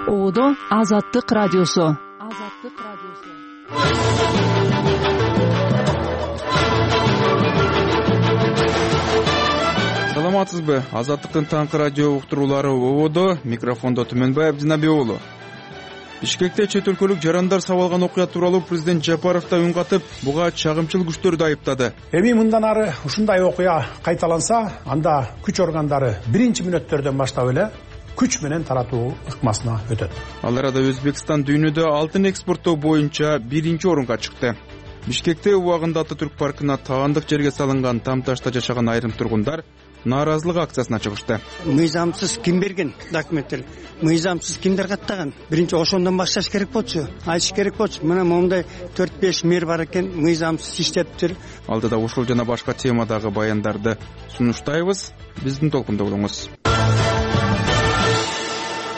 Ободо Азаттык радиосу. Саламатсызбы? Азаттыктын таңкы радио уктуруулары Ободо, микрофондо Түмөнбаев Жинабек уулу. Бишкекте чет өлкөлүк жарандар сабалган окуя тууралуу президент Жапаров да үн катып, буга чагымчыл күчтөрдү айыптады. Эми мындан ары ушундай окуя кайталанса, анда күч органдары биринчи мүнөттөрдөн баштап эле күч менен таратуу ыкмасына өтөт. Ал арада Өзбекстан дүйнөдө алтын экспорттоо боюнча биринчи орунга чыкты. Бишкекте убагында Ататүрк паркына таандык жерге салынган там ташта жашаган айрым тургундар нааразылык акциясына чыгышты. Мыйзамсыз ким берген документтер? Мыйзамсыз кимдер каттаган? Биринчи ошондон башташ керек болчу, айтыш керек болчу. Мына момундай 4-5 мэр бар экен, мыйзамсыз иштептир. Алдыда ушул жана башка темадагы баяндарды сунуштайбыз. Биздин толкунда болуңуз.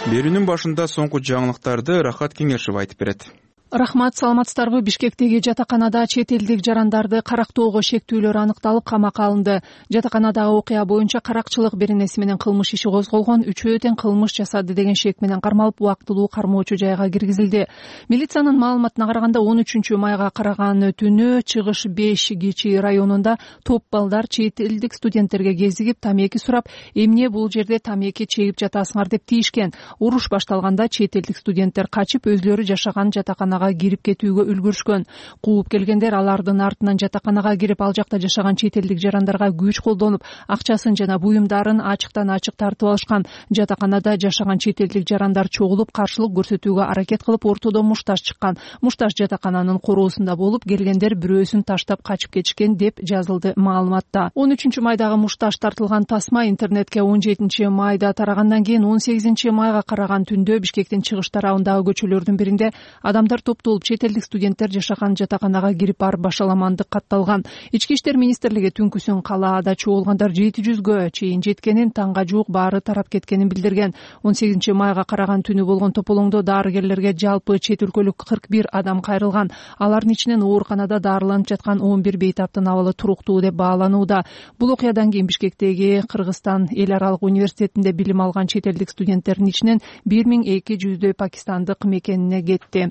Берүүнүн башында соңку жаңылыктарды Рахат Кеңешев айтып берет. Рахмат, саламатсыздарбы? Бишкектеги жатаканада чет элдик жарандарды карактоого шектүүлөр аныкталып, камакка алынды. Жатаканадагы окуя боюнча каракчылык беренеси менен кылмыш иши козголгон, үчөө тең кылмыш жасады деген шек менен кармалып, убактылуу кармоочу жайга киргизилди. Милициянын маалыматына караганда 13 майга караган түнү Чыгыш 5 Кичи районунда топ балдар чет элдик студенттерге кезигип, тамеки сурап, эмне бул жерде тамеки чегип жатасыңар деп тийишкен. Уруш башталганда чет элдик студенттер качып, өзлөрү жашаган жатакана кирип кетүүгө үлгүрүшкөн. Кууп келгендер алардын артынан жатаканага кирип, ал жакта жашаган чет элдик жарандарга күч колдонуп, акчасын жана буюмдарын ачыктан ачык тартып алышкан. Жатаканада жашаган чет элдик жарандар чогулуп, каршылык көрсөтүүгө аракет кылып, ортодо мушташ чыккан. Мушташ жатакананын короосунда болуп, келгендер бирөөсүн таштап качып кетишкен деп жазылды маалыматта. 13 майдагы мушташ тартылган тасма интернетке 17 майда тарагандан кийин 18 майга караган түндө Бишкектин чыгыш тарабындагы көчөлөрдүн биринде адамдар топтолуп, чет элдик студенттер жашаган жатаканага кирип барып башаламандык катталган. Ички иштер министрлиги түнкүсүн калаада чогулгандар 700гө чейин жеткенин, таңга жуук баары тарап кеткенин билдирген. 18 майга караган түнү болгон тополоңдо дарыгерлерге жалпы чет өлкөлүк 41 адам кайрылган. Алардын ичинен ооруканада дарыланып жаткан 11 бейтаптын абалы туруктуу деп бааланууда. Бул окуядан кийин Бишкектеги Кыргызстан эл аралык университетинде билим алган чет элдик студенттердин ичинен 1200 пакистандык мекенине кетти.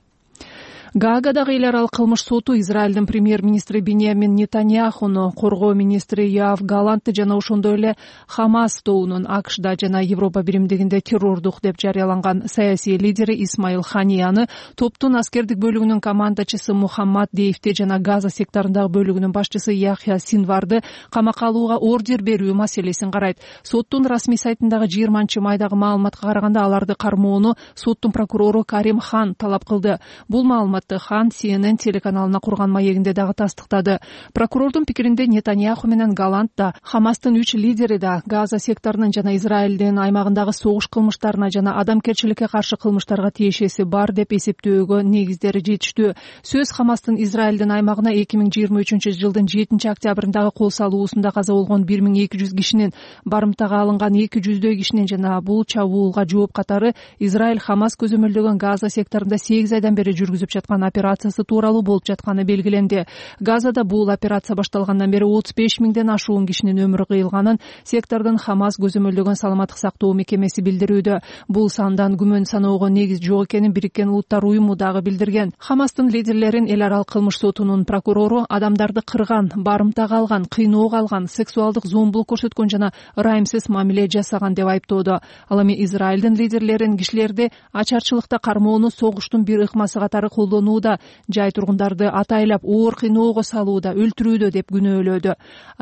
Гаагадагы эл аралык кылмыш соту Израилдин премьер-министри Биньямин Нетаньяхуну, коргоо министри Йоав Галантты жана ошондой эле Хамас тобунун АКШда жана Европа биримдигинде террордук деп жарыяланган саясий лидери Исмаил Ханияны, топтун аскердик бөлүгүнүн командачысы Мухаммад Дейфти жана Газа секторундагы бөлүгүнүн башчысы Яхья Синварды камакка алууга ордер берүү маселесин карайт. Соттун расмий сайтындагы 20 майдагы маалыматка караганда, аларды кармоону соттун прокурору Карим Хан талап кылды. Бул маалымат Хан CNN телеканалына курган маегинде дагы тастыктады. Прокурордун пикиринде Нетаньяху менен Галант да, Хамастын 3 лидери да Газа секторунун жана Израилдин аймагындагы согуш кылмыштарына жана адамгерчиликке каршы кылмыштарга тиешеси бар деп эсептөөгө негиздери жетиштүү. Сөз Хамастын Израилдин аймагына 2023 жылдын 7 октябрындагы кол салуусунда каза болгон 1200 кишинин, барымтага алынган 200 кишинин жана бул чабуулга жооп катары Израиль Хамас көзөмөлдөгөн Газа секторунда 8 айдан бери жүргүзүп жаткан операциясы тууралуу болуп жатканы белгиленди. Газада бул операция башталгандан бери 35 миңден ашуун кишинин өмүрү кыйылганын сектордун Хамас көзөмөлдөгөн саламаттык сактоо мекемеси билдирүүдө. Бул сандан күмөн саноого негиз жок экенин Бириккен Улуттар уюму дагы билдирген. Хамастын лидерлерин эл аралык кылмыш сотунун прокурору адамдарды кырган, барымтага алган, кыйноого алган, сексуалдык зомбулук көрсөткөн жана ырайымсыз мамиле жасаган деп айыптоодо. Ал эми Израилдин лидерлерин кишилерди ачарчылыкта кармоону согуштун бир ыкмасы катары колдонууда, жай тургундарды атайлап оор кыйноого салууда, өлтүрүүдө деп күнөөлөөдө.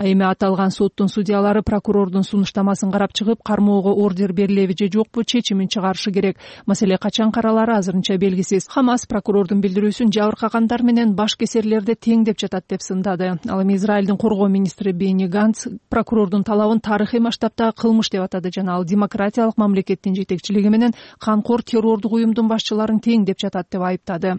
Эми аталган соттун судьялары прокурордун сунуштамасын карап чыгып, кармоого ордер берилеби же жокпу чечимин чыгарышы керек. Маселе качан каралары азырынча белгисиз. Хамас прокурордун билдирүүсүн жабыркагандар менен баш кесерлерди тең деп жатат деп сындады. Ал эми Израилдин коргоо министри Бени Ганц прокурордун талабын тарыхый масштабтагы кылмыш деп атады жана ал демократиялык мамлекеттин жетекчилиги менен канкор террордук уюмдун башчыларын тең деп жатат деп айыптады.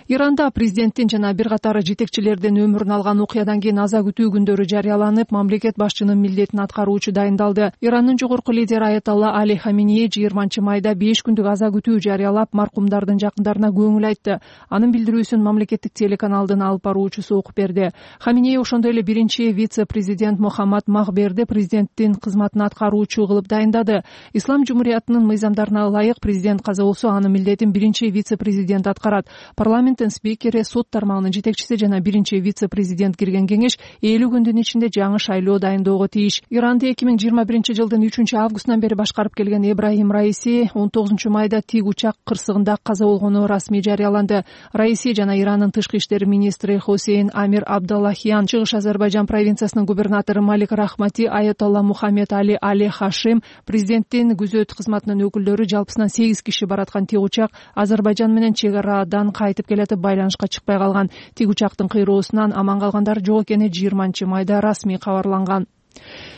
Иранда президенттин жана бир катар жетекчилердин өмүрүн алган окуядан кийин аза күтүү күндөрү жарыяланып, мамлекет башчынын милдетин аткаруучу дайындалды. Ирандын жогорку лидери Аятолла Али Хаминеи 20 майда 5 күндүк аза күтүү жарыялап, маркумдардын жакындарына көңүл айтты. Анын билдирүүсүн мамлекеттик телеканалдын алып баруучусу окуп берди. Хаминеи ошондой эле биринчи вице-президент Мухаммад Махберди президенттин кызматын аткаруучу кылып дайындады. Ислам жумуриятынын мыйзамдарына ылайык президент каза болсо, анын милдетин биринчи вице-президент аткарат. Парламенттин спикери, сот тармагынын жетекчиси жана биринчи вице-президент кирген кеңеш 50 күндүн ичинде жаңы шайлоо дайындоого тийиш. Иранды 2021-жылдын 3-августунан бери башкарып келген Ибрахим Раиси 19-майда тик учак кырсыгында каза болгону расмий жарыяланды. Раиси жана Ирандын тышкы иштер министри Хусейн Амир Абдаллахиян, Чыгыш Азербайжан провинциясынын губернатору Малик Рахмати, Аятолла Мухаммед Али Хашим, президенттин күзөт кызматынын өкүлдөрү, жалпысынан 8 киши бараткан тик учак Азербайжан менен чек арадан кайтып келатып байланышка чыкпай калган. Тик учактын кыйроосунан аман калгандар жок экени 20-майда расмий кабарланган.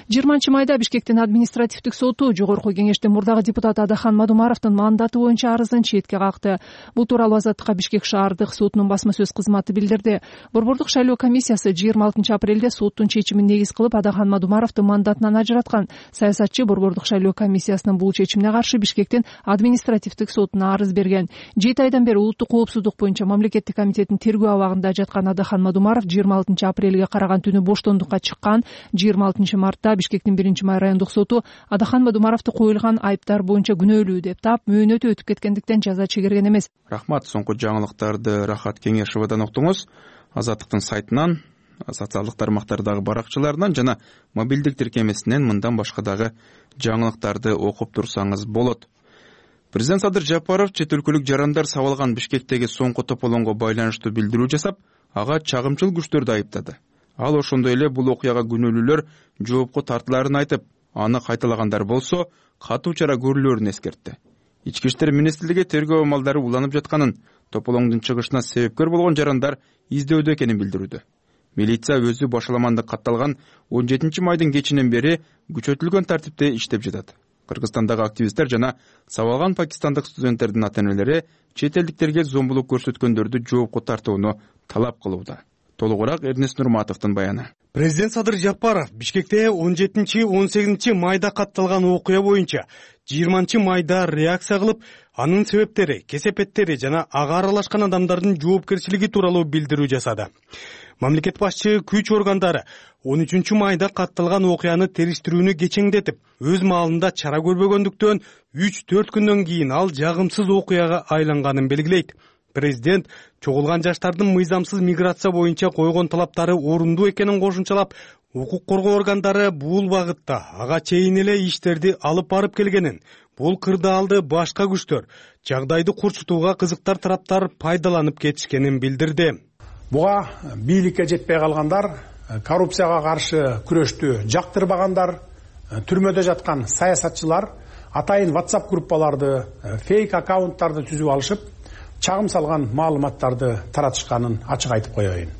20-майда Бишкектин административдик соту жогорку кеңештин мурдагы депутаты Адахан Мадумаровдун мандаты боюнча арызын четке какты. Бул тууралуу Азаттыкка Бишкек шаардык сотунун басма сөз кызматы билдирди. Борбордук шайлоо комиссиясы 26-апрелде соттун чечимин негиз кылып Адахан Мадумаровду мандатынан ажыраткан. Саясатчы борбордук шайлоо комиссиясынын бул чечимине каршы Бишкектин административдик сотуна арыз берген. 7 айдан бери улуттук коопсуздук боюнча мамлекеттик комитеттин тергөө абагында жаткан Адахан Мадумаров 26-апрелге караган түнү боштондукка чыккан. 26-мартта Бишкектин 1-май райондук соту Адахан Мадумаровду коюлган айыптар боюнча күнөөлүү деп таап, мөөнөтү өтүп кеткендиктен жаза чегерген эмес. Рахмат. Соңку жаңылыктарды Рахат Кеңешевадан уктуңуз. Азаттыктын сайтынан, социалдык тармактардагы баракчаларынан жана мобилдик тиркемесинен мындан башка дагы жаңылыктарды окуп турсаңыз болот. Президент Садыр Жапаров чет өлкөлүк жарандар сабалган Бишкектеги соңку тополоңго байланыштуу билдирүү жасап, ага чагымчыл күчтөрдү айыптады. Ал ошондой эле бул окуяга күнөөлүүлөр жоопко тартыларын айтып, аны кайталагандар болсо катуу чара көрүлөрүн эскертти. Ички иштер министрлиги тергөө амалдары уланып жатканын, тополоңдун чыгышына себепкер болгон жарандар издөөдө экенин билдирүүдө. Милиция өзү башаламандык катталган 17-майдын кечинен бери күчөтүлгөн тартипте иштеп жатат. Кыргызстандагы активисттер жана сабалган пакистандык студенттердин ата-энелери чет элдиктерге зомбулук көрсөткөндөрдү жоопко тартууну талап кылууда. Толугураак Эрнест Нурматовдун баяны. Президент Садыр Жапаров Бишкекте 17-18 майда катталган окуя боюнча 20-майда реакция кылып, анын себептери, кесепеттери жана ага аралашкан адамдардын жоопкерчилиги тууралуу билдирүү жасады. Мамлекет башчы күч органдары 13-майда катталган окуяны териштирүүнү кечеңдетип, өз маалында чара көрбөгөндүктөн 3-4 күндөн кийин ал жагымсыз окуяга айланганын белгилейт. Президент чогулган жаштардын мыйзамсыз миграция боюнча койгон талаптары орундуу экенин кошумчалап, укук коргоо органдары бул багытта ага чейин эле иштерди алып барып келгенин, бул кырдаалды башка күчтөр, жагдайды курчутууга кызыктар тараптар пайдаланып кетишкенин билдирди. Буга бийликке жетпей калгандар, коррупцияга каршы күрөштү жактырбагандар, түрмөдө жаткан саясатчылар атайын WhatsApp группаларды, фейк аккаунттарды түзүп алышып, чагым салган маалыматтарды таратышканын ачык айтып коеюн.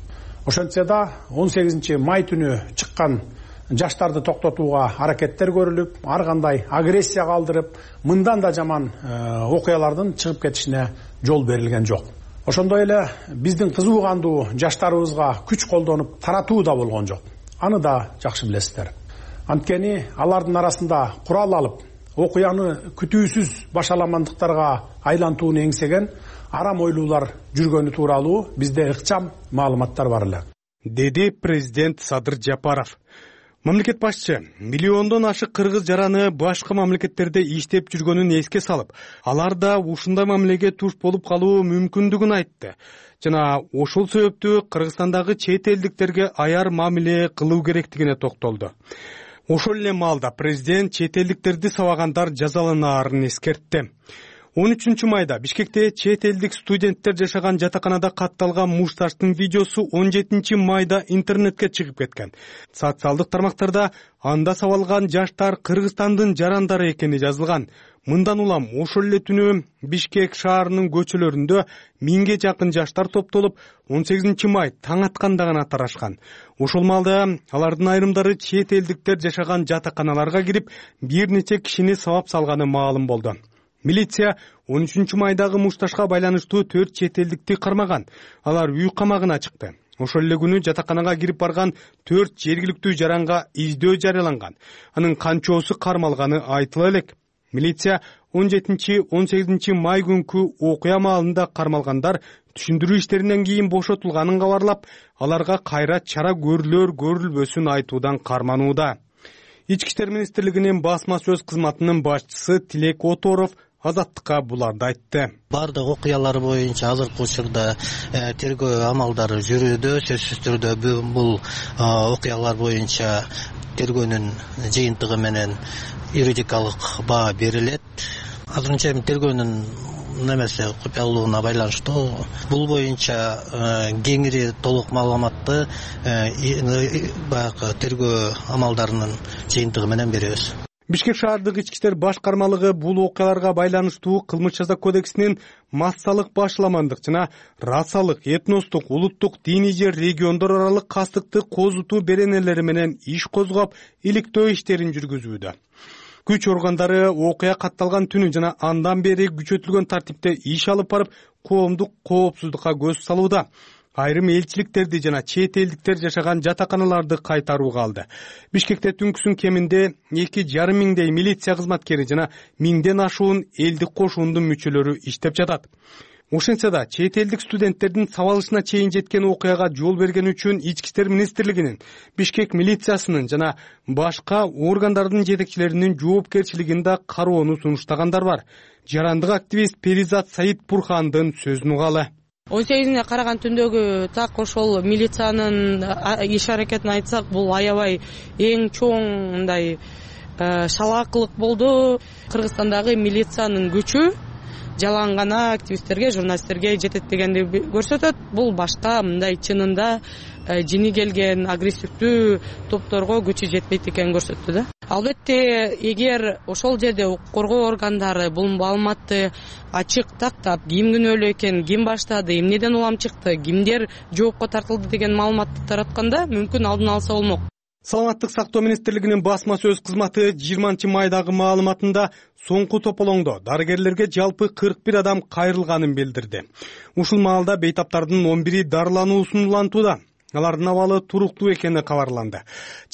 Ошентсе да 18-май түнү чыккан жаштарды токтотууга аракеттер көрүлүп, ар кандай агрессия калтырып, мындан да жаман окуялардын чыгып кетишине жол берилген жок. Ошондой эле биздин кызуу кандуу жаштарыбызга күч колдонуп таратуу да болгон жок. Аны да жакшы билесиздер. Анткени алардын арасында курал алып, окуяны күтүүсүз башаламандыктарга айлантууну эңсеген арам ойлуулар жүргөнү тууралуу бизде ыкчам маалыматтар бар эле, деди президент Садыр Жапаров. Мамлекет башчы миллиондон ашык кыргыз жараны башка мамлекеттерде иштеп жүргөнүн эске салып, алар да ушундай мамилеге туш болуп калуу мүмкүндүгүн айтты. Жана ошол себептүү Кыргызстандагы чет элдиктерге аяр мамиле кылуу керектигине токтолду. Ошол эле маалда президент чет элдиктерди сабагандар жазаланаарын эскертти. 13-майда Бишкекте чет элдик студенттер жашаган жатаканада катталган мушташтын видеосу 17-майда интернетке чыгып кеткен. Социалдык тармактарда анда сабалган жаштар Кыргызстандын жарандары экени жазылган. Мындан улам ошол эле түнү Бишкек шаарынын көчөлөрүндө 1000ге жакын жаштар топтолуп, 18-май таң атканда гана тарашкан. Ошол маалда алардын айрымдары чет элдиктер жашаган жатаканаларга кирип, бир нече кишини сабап салганы маалым болду. Милиция 13-майдагы мушташка байланыштуу 4 чет элдикти кармаган. Алар үй камагына чыкты. Ошол эле күнү жатаканага кирип барган 4 жергиликтүү жаранга издөө жарыяланган. Анын канчоосу кармалганы айтыла элек. Милиция 17-18 май күнкү окуя маалында кармалгандар түшүндүрүү иштеринен кийин бошотулганын кабарлап, аларга кайра чара көрүлбөсүн айтуудан карманууда. Ички иштер министрлигинин басма сөз кызматынын башчысы Тилек Оторов Азаттыкка буларды айтты. Бардык окуялар боюнча азыркы учурда тергөө амалдары жүрүүдө, сөзсүз түрдө бул окуялар боюнча тергөөнүн жыйынтыгы менен юридикалык баа берилет. Азырынча тергөөнүн немесе купуялуулугуна байланыштуу бул боюнча кеңири толук маалыматты баягы тергөө амалдарынын жыйынтыгы менен беребиз. Бишкек шаардык ички иштер башкармалыгы бул окуяларга байланыштуу кылмыш жаза кодексинин массалык башламандык жана расалык, этностук, улуттук, диний же региондор аралык кастыкты козутуу беренелери менен иш козгоп, иликтөө иштерин жүргүзүүдө. Күч органдары окуя катталган түнү жана андан бери күчөтүлгөн тартипте иш алып барып, коомдук коопсуздукка көз салууда. Айрым элчиликтерди жана чет элдиктер жашаган жатаканаларды кайтарууга алды. Бишкекте түнкүсүн кеминде 2,5 миңдей милиция кызматкери жана 1000ден ашуун элдик кошуундун мүчөлөрү иштеп жатат. Ошентсе да чет элдик студенттердин сабалышына чейин жеткен окуяга жол берген үчүн Ички иштер министрлигинин, Бишкек милициясынын жана башка органдардын жетекчилеринин жоопкерчилигин да кароону сунуштагандар бар. Жарандык активист Перизат Саидбурхандын сөзүн угалы. 18-не караган түндөгү так ошол милициянын иш аракетин айтсак, бул аябай эң чоң мындай шалаакылык болду. Кыргызстандагы милициянын күчү жалаң гана активисттерге, журналисттерге жетет дегенди көрсөтөт. Бул башка мындай чынында жини келген агрессивдүү топторго күчү жетпейт экенин көрсөттү да. Албетте, эгер ошол жерде коргоо органдары бул маалыматты ачык тактап, ким күнөөлүү экен, ким баштады, эмнеден улам чыкты, кимдер жоопко тартылды деген маалыматты таратканда мүмкүн алдын алса болмок. Саламаттык сактоо министрлигинин басма сөз кызматы 20-майдагы маалыматында соңку тополоңдо дарыгерлерге жалпы 41 адам кайрылганын билдирди. Ушул маалда бейтаптардын 11 дарылануусун улантууда. Алардын абалы туруктуу экени кабарланды.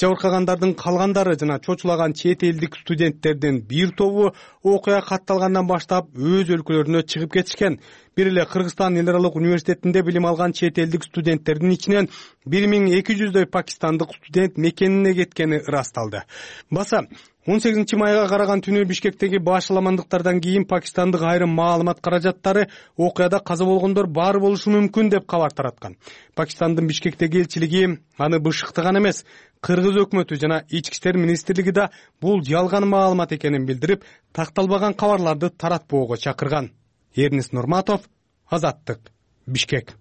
Жабыркагандардын калгандары жана чочулаган чет элдик студенттердин бир тобу окуя катталгандан баштап өз өлкөлөрүнө чыгып кетишкен. Бир эле Кыргызстан эл аралык университетинде билим алган чет элдик студенттердин ичинен 1200дөй пакистандык студент мекенине кеткени ырасталды. Баса 18-майга караган түнү Бишкектеги башаламандыктардан кийин пакистандык айрым маалымат каражаттары окуяда каза болгондор бар болушу мүмкүн деп кабар тараткан. Пакистандын Бишкектеги элчилиги аны бышыктаган эмес, Кыргыз өкмөтү жана Ички иштер министрлиги да бул жалган маалымат экенин билдирип, такталбаган кабарларды таратпоого чакырган. Эрнис Нурматов, Азаттык, Бишкек.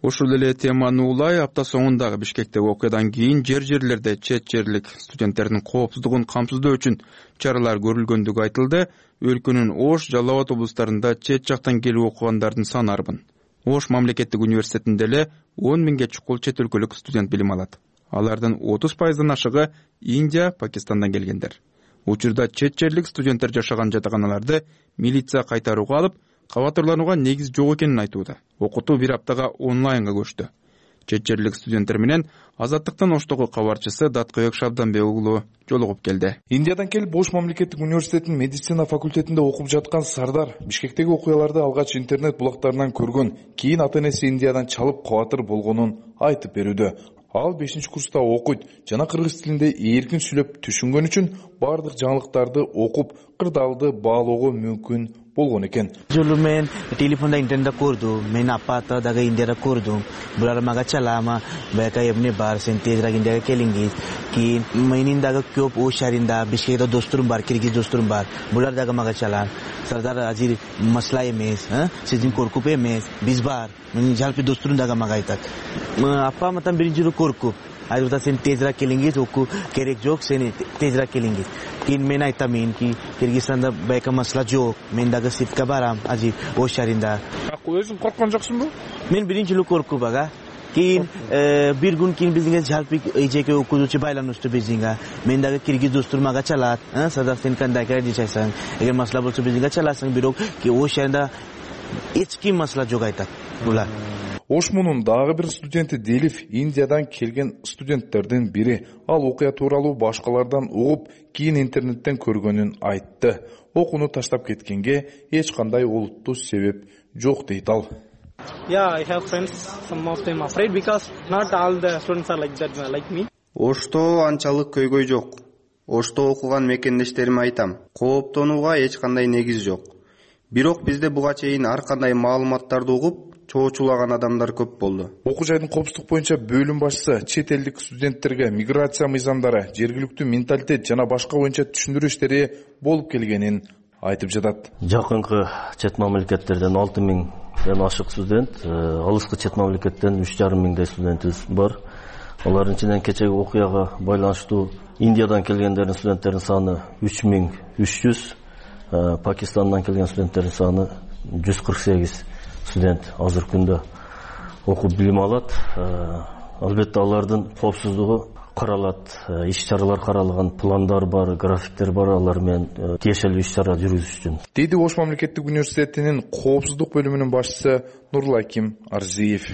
Ушул эле теманы улай апта соңундагы Бишкектеги окуядан кийин жерлерде чет жерлик студенттердин коопсуздугун камсыздоо үчүн чаралар көрүлгөндүгү айтылды. Өлкөнүн Ош, Жалал Абад облустарында чет жактан келип окугандардын саны арбын. Ош мамлекеттик университетинде эле 10 миңге чукул чет өлкөлүк студент билим алат. Алардын 30%дан ашыгы Индия, Пакистандан келгендер. Учурда чет жерлик студенттер жашаган жатаканаларды милиция кайтарууга алып, кабатырланууга негиз жок экенин айтууда. Окутуу бир аптага онлайнга көчтү. Чет жерлик студенттер менен Азаттыктын Оштогу кабарчысы Даткоек Шабданбек уулу жолугуп келди. Индиядан келип Ош мамлекеттик университетинин медицина факультетинде окуп жаткан Сардар Бишкектеги окуяларды алгач интернет булактарынан көргөн, кийин ата-энеси Индиядан чалып кабатыр болгонун айтып берүүдө. Ал 5-курста окуйт жана кыргыз тилинде эркин сүйлөп түшүнгөн үчүн бардык жаңылыктарды окуп, кырдаалды баалоого мүмкүн болгон экен. Жолу мен телефонда интернетте көрдүм, мен апата дагы Индияда көрдүм. Булар мага чалама, бака эмне бар, сен тезирээк Индияга келиңиз. Кийин менин дагы көп Ош шаарында Бишкекте досторум бар, киргиз досторум бар. Булар дагы мага чалат. Сардар азыр масла эмес, сиздин коркуп эмес, биз бар. Менин жалпы досторум дагы мага айтат. Апаматан биринчи жолу коркуп, айрда сен тезирээк келиңиз, оку керек жок, сен тезирээк келиңиз. Кийин мен айтамын ки Кыргызстанда байка масла жок, мен дагы сыртка барам, азыр Ош шаарында. Өзүң корккон жоксуңбу? Мен биринчи жолу коркуп ага. кийин бир күн кийин биздин жалпы эжеке окуучу байланыштуу биздинге мен дагы киргиз достур мага чалат, садак сен кандай дешесең, эгер масала болсо биздинге чаласың, бирок ош шаарында эч ким масала жок айтат булар. Ошмунун дагы бир студенти Делиф Индиядан келген студенттердин бири. Ал окуя тууралуу башкалардан угуп, кийин интернеттен көргөнүн айтты. Окууну таштап кеткенге эч кандай олуттуу себеп жок дейт ал. I have friends. Some of them afraid because not all the students are like that, like me. Ошто анчалык көйгөй жок. Ошто окуган мекендештериме айтам, кооптонууга эч кандай негиз жок. Бирок бизде буга чейин ар кандай маалыматтарды угуп, чоочулаган адамдар көп болду. Окуу жайдын коопсуздук боюнча бөлүм башчысы чет элдик студенттерге миграция мыйзамдары, жергиликтүү менталитет жана башка боюнча түшүндүрүү иштери болуп келгенин айтып жатат. Жакынкы чет мамлекеттерден 6000 ашык студент, алыскы чет мамлекеттен 3500 студентибиз бар. Алардын ичинен кечеги окуяга байланыштуу Индиядан келгендердин студенттердин саны 3300, Пакистандан келген студенттердин саны 148 студент азыркы күндө окуп билим алат. Албетте алардын коопсуздугу каралат, иш-чаралар каралган, пландар бар, графиктер бар, алар менен тиешелүү иш-чара жүргүзүш үчүн. Деди Ош мамлекеттик университетинин коопсуздук бөлүмүнүн башчысы Нурлаким Арзиев.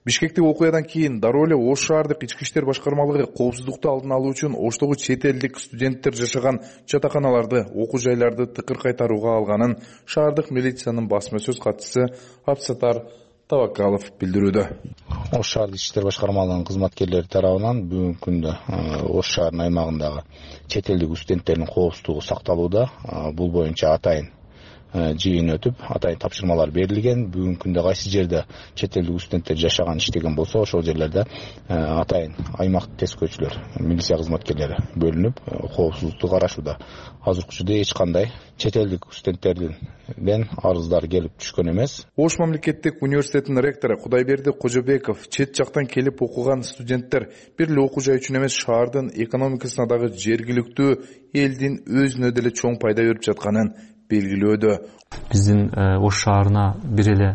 Бишкектеги окуядан кийин дароо эле Ош шаардык ички иштер башкармалыгы коопсуздукту алдын алуу үчүн Оштогу чет элдик студенттер жашаган жатаканаларды, окуу жайларды тыкыр кайтарууга алганын шаардык милициянын басма сөз катчысы Абсатар Тавакалов билдирүүдө. Ош шаардык ички иштер башкармалыгынын кызматкерлери тарабынан бүгүнкү күндө Ош шаарынын аймагындагы чет элдик студенттердин коопсуздугу сакталууда. Бул боюнча атайын жыйын өтүп, атайын тапшырмалар берилген. Бүгүнкү күндө кайсы жерде чет элдик студенттер жашаган, иштеген болсо, ошол жерлерде атайын аймак тескөөчүлөр, милиция кызматкерлери бөлүнүп, коопсуздукту карашууда. Азыркы учурда эч кандай чет элдик студенттерден арыздар келип түшкөн эмес. Ош мамлекеттик университетинин ректору Кудайберди Кожобеков чет жактан келип окуган студенттер бир эле окуу жай үчүн эмес, шаардын экономикасына дагы жергиликтүү элдин өзүнө деле чоң пайда берип жатканын белгилөөдө. Биздин Ош шаарына бир эле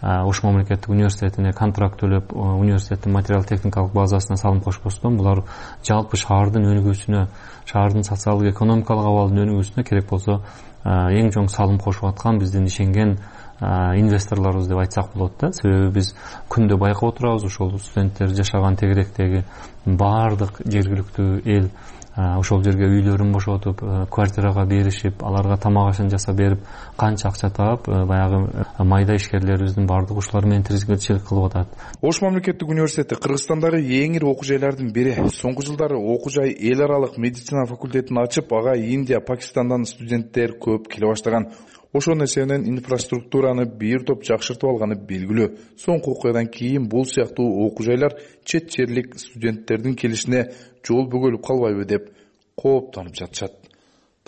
Ош мамлекеттик университетине контракт төлөп, университеттин материал техникалык базасына салым кошпостон, булар жалпы шаардын өнүгүүсүнө, шаардын социалдык экономикалык абалынын өнүгүүсүнө керек болсо эң чоң салым кошуп аткан биздин ишенген инвесторлорубуз деп айтсак болот да. Себеби биз күндө байкап отурабыз, ошол студенттер жашаган тегеректеги баардык жергиликтүү эл ошол жерге үйлөрүн бошотуп, квартирага беришип, аларга тамак ашын жасап берип, канча акча таап, баягы майда ишкерлерибиздин баардык ушулар менен тиричилик кылып атат. Ош мамлекеттик университети Кыргызстандагы эң ири окуу жайлардын бири. Соңку жылдары окуу жай эл аралык медицина факультетин ачып, ага Индия, Пакистандан студенттер көп келе баштаган. Ошонун эсебинен инфраструктураны бир топ жакшыртып алганы белгилүү. Соңку окуядан кийин бул сыяктуу окуу жайлар чет жерлик студенттердин келишине жол бөгөлүп калбайбы деп кооптонуп жатышат.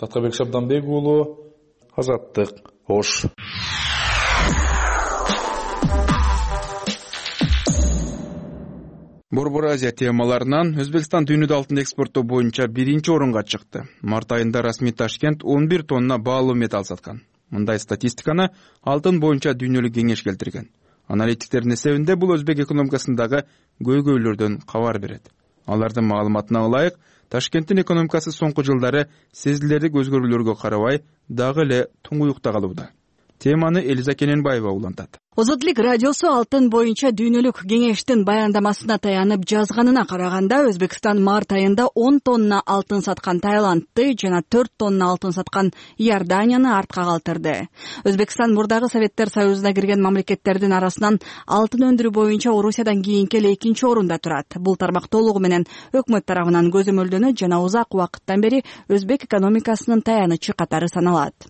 Таткабек Шабданбек уулу, Азаттык, Ош. Борбор Азия темаларынан Өзбекстан дүйнөдө алтын экспорттоо боюнча биринчи орунга чыкты. Март айында расмий Ташкент 11 тонна баалуу металл саткан. Мындай статистиканы алтын боюнча дүйнөлүк кеңеш келтирген. Аналитиктердин эсебинде бул өзбек экономикасындагы көйгөйлөрдөн кабар берет. Алардын маалыматына ылайык, Ташкенттин экономикасы соңку жылдары сезилерлик өзгөрүүлөргө карабай дагы эле туңуюкта калууда. Теманы Элиза Кененбаева улантат. Озодлук радиосу алтын боюнча дүйнөлүк кеңештин баяндамасына таянып жазганына караганда, Өзбекстан март айында 10 тонна алтын саткан Таиландты жана 4 тонна алтын саткан Иорданияны артка калтырды. Өзбекстан мурдагы Советтер Союзуна кирген мамлекеттердин арасынан алтын өндүрүү боюнча Орусиядан кийинки эле 2-нчи орунда турат. Бул тармак толугу менен өкмөт тарабынан көзөмөлдөнөт жана узак убакыттан бери өзбек экономикасынын таянычы катары саналат.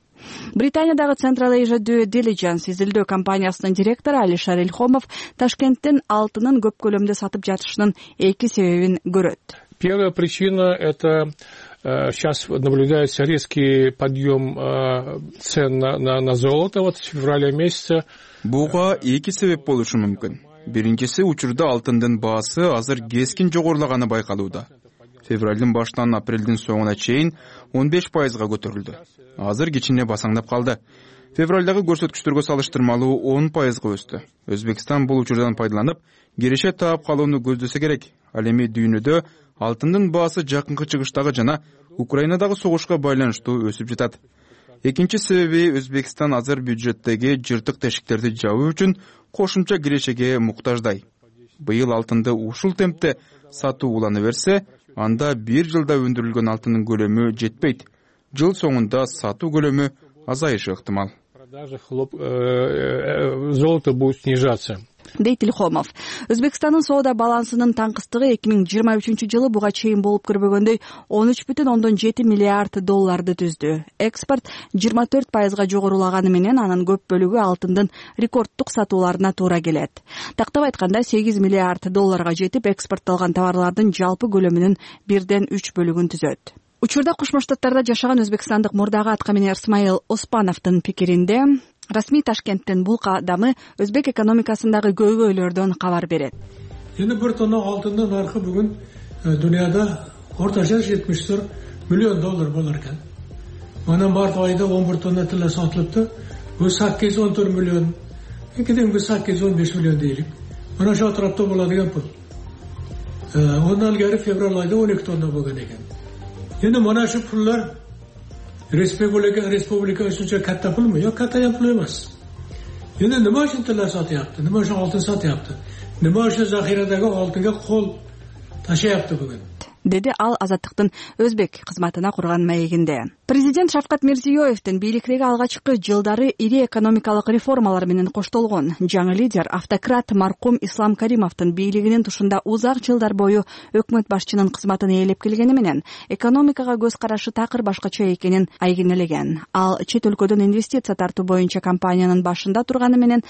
Британиядагы Central Asia Due Diligence изилдөө компаниясынын директору Алишер Ильхомов Ташкенттин алтынын көп көлөмдө сатып жатышынын эки себебин көрөт. Первая причина — это сейчас наблюдается резкий подъем цен на золото вот с февраля месяца. Буга эки себеп болушу мүмкүн. Биринчиси, учурда алтындын баасы азыр кескин жогорулаганы байкалууда. Февралдын башынан апрелдин соңуна чейин 15% көтөрүлдү. Азыр кичине басаңдап калды. Февралдагы көрсөткүчтөргө салыштырмалуу 10% өстү. Өзбекстан бул учурдан пайдаланып, киреше таап калууну көздөсө керек. Ал эми дүйнөдө алтындын баасы жакынкы чыгыштагы жана Украинадагы согушка байланыштуу өсүп жатат. Экинчи себеби Өзбекстан азыр бюджеттеги жыртык тешиктерди жабуу үчүн кошумча кирешеге муктаждай. Быйыл алтынды ушул темпте сатуу улана берсе, анда бир жылда өндүрүлгөн алтындын көлөмү жетпейт. Жыл соңунда сатуу көлөмү азайышы ыктымал. Золото будет снижаться. Дейт Илхомов. Өзбекстандын соода балансынын таңкыстыгы 2023 жылы буга чейин болуп көрбөгөндөй 13,7 миллиард долларды түздү. Экспорт 24% жогорулаганы менен анын көп бөлүгү алтындын рекорддук сатууларына туура келет. Тактап айтканда 8 миллиард долларга жетип, экспортталган товарлардын жалпы көлөмүнүн 1/3 бөлүгүн түзөт. Учурда Кошмо Штаттарда жашаган өзбекстандык мурдагы аткаминер Исмаил Оспановдун пикиринде, расмий Ташкенттин бул кадамы өзбек экономикасындагы көйгөйлөрдөн кабар берет. Эми бир тонна алтындын наркы бүгүн дүйнөдө орточа 74 миллион доллар болор экен. Мына март айында 11 тонна тиле сатылыпты. Бул 814 миллион. Кедимги 815 миллион дейли. Мына ошол тарапта болот пул. Ондан ilgari февраль айында 12 тонна болгон экен. Эми мына шу пуллар республика үчүн катта пулму? Жок, катта пул эмес. Эми нема үчүн тиле сатыпты? Нема үчүн алтын сатыпты? Нема үчүн захирадагы алтынга кол ташыпты бүгүн? Деди ал Азаттыктын өзбек кызматына курган маегинде. Президент Шавкат Мирзиёевдин бийликтеги алгачкы жылдары ири экономикалык реформалар менен коштолгон жаңы лидер автократ маркум Ислам Каримовдун бийлигинин тушунда узак жылдар бою өкмөт башчынын кызматын ээлеп келгени менен экономикага көз карашы такыр башкача экенин айгинелеген. Ал чет өлкөдөн инвестиция тартуу боюнча компаниянын башында турганы менен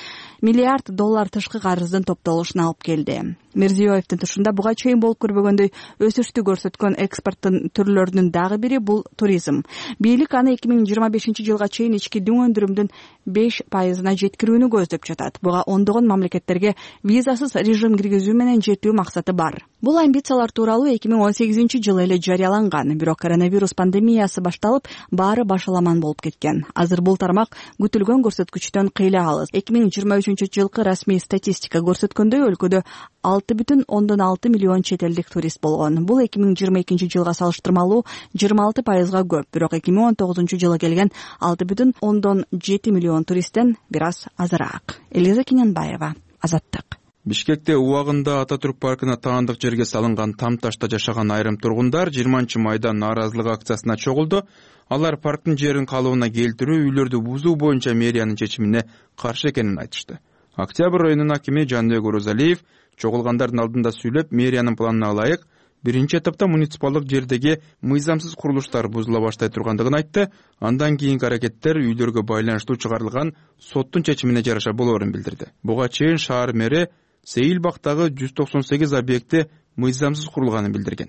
миллиард доллар тышкы карыздын топтолушуна алып келди. Мирзиёевдин тушунда буга чейин болуп көрбөгөндөй өсүштү көрсөткөн экспорттун түрлөрүнүн дагы бири бул туризм. Бийлик аны 2025 жылга чейин ички дүң өндүрүмдүн 5%-на жеткирүүнү көздөп жатат. Буга ондогон мамлекеттерге визасыз режим киргизүү менен жетүү максаты бар. Бул амбициялар тууралуу 2018 жылы эле жарыяланган, бирок коронавирус пандемиясы башталып, баары башаламан болуп кеткен. Азыр бул тармак күтүлгөн көрсөткүчтөн кыйла алыс. 2023 жылкы расмий статистика көрсөткөндөй өлкөдө 6,6 миллион чет элдик турист болгон. Бул 2022 жылга салыштырмалуу 26%га көп, бирок 2019 жылы келген 6,7 миллион туристтен бир аз азыраак. Элиза Кененбаева, Азаттык. Бишкекте убагында Ататүрк паркына таандык жерге салынган там ташта жашаган айрым тургундар 20-майда нааразылык акциясына чогулду. Алар парктын жерин калыбына келтирүү, үйлөрдү бузуу боюнча мэриянын чечимине каршы экенин айтышты. Октябрь районунун акими Жаныбек Орозалиев чогулгандардын алдында сүйлөп, мэриянын планына ылайык биринчи этапта муниципалдык жердеги мыйзамсыз курулуштар бузула баштай тургандыгын айтты. Андан кийинки аракеттер үйлөргө байланыштуу чыгарылган соттун чечимине жараша болоорун билдирди. Буга чейин шаар мэри Сейилбактагы 198 объекти мыйзамсыз курулганын билдирген.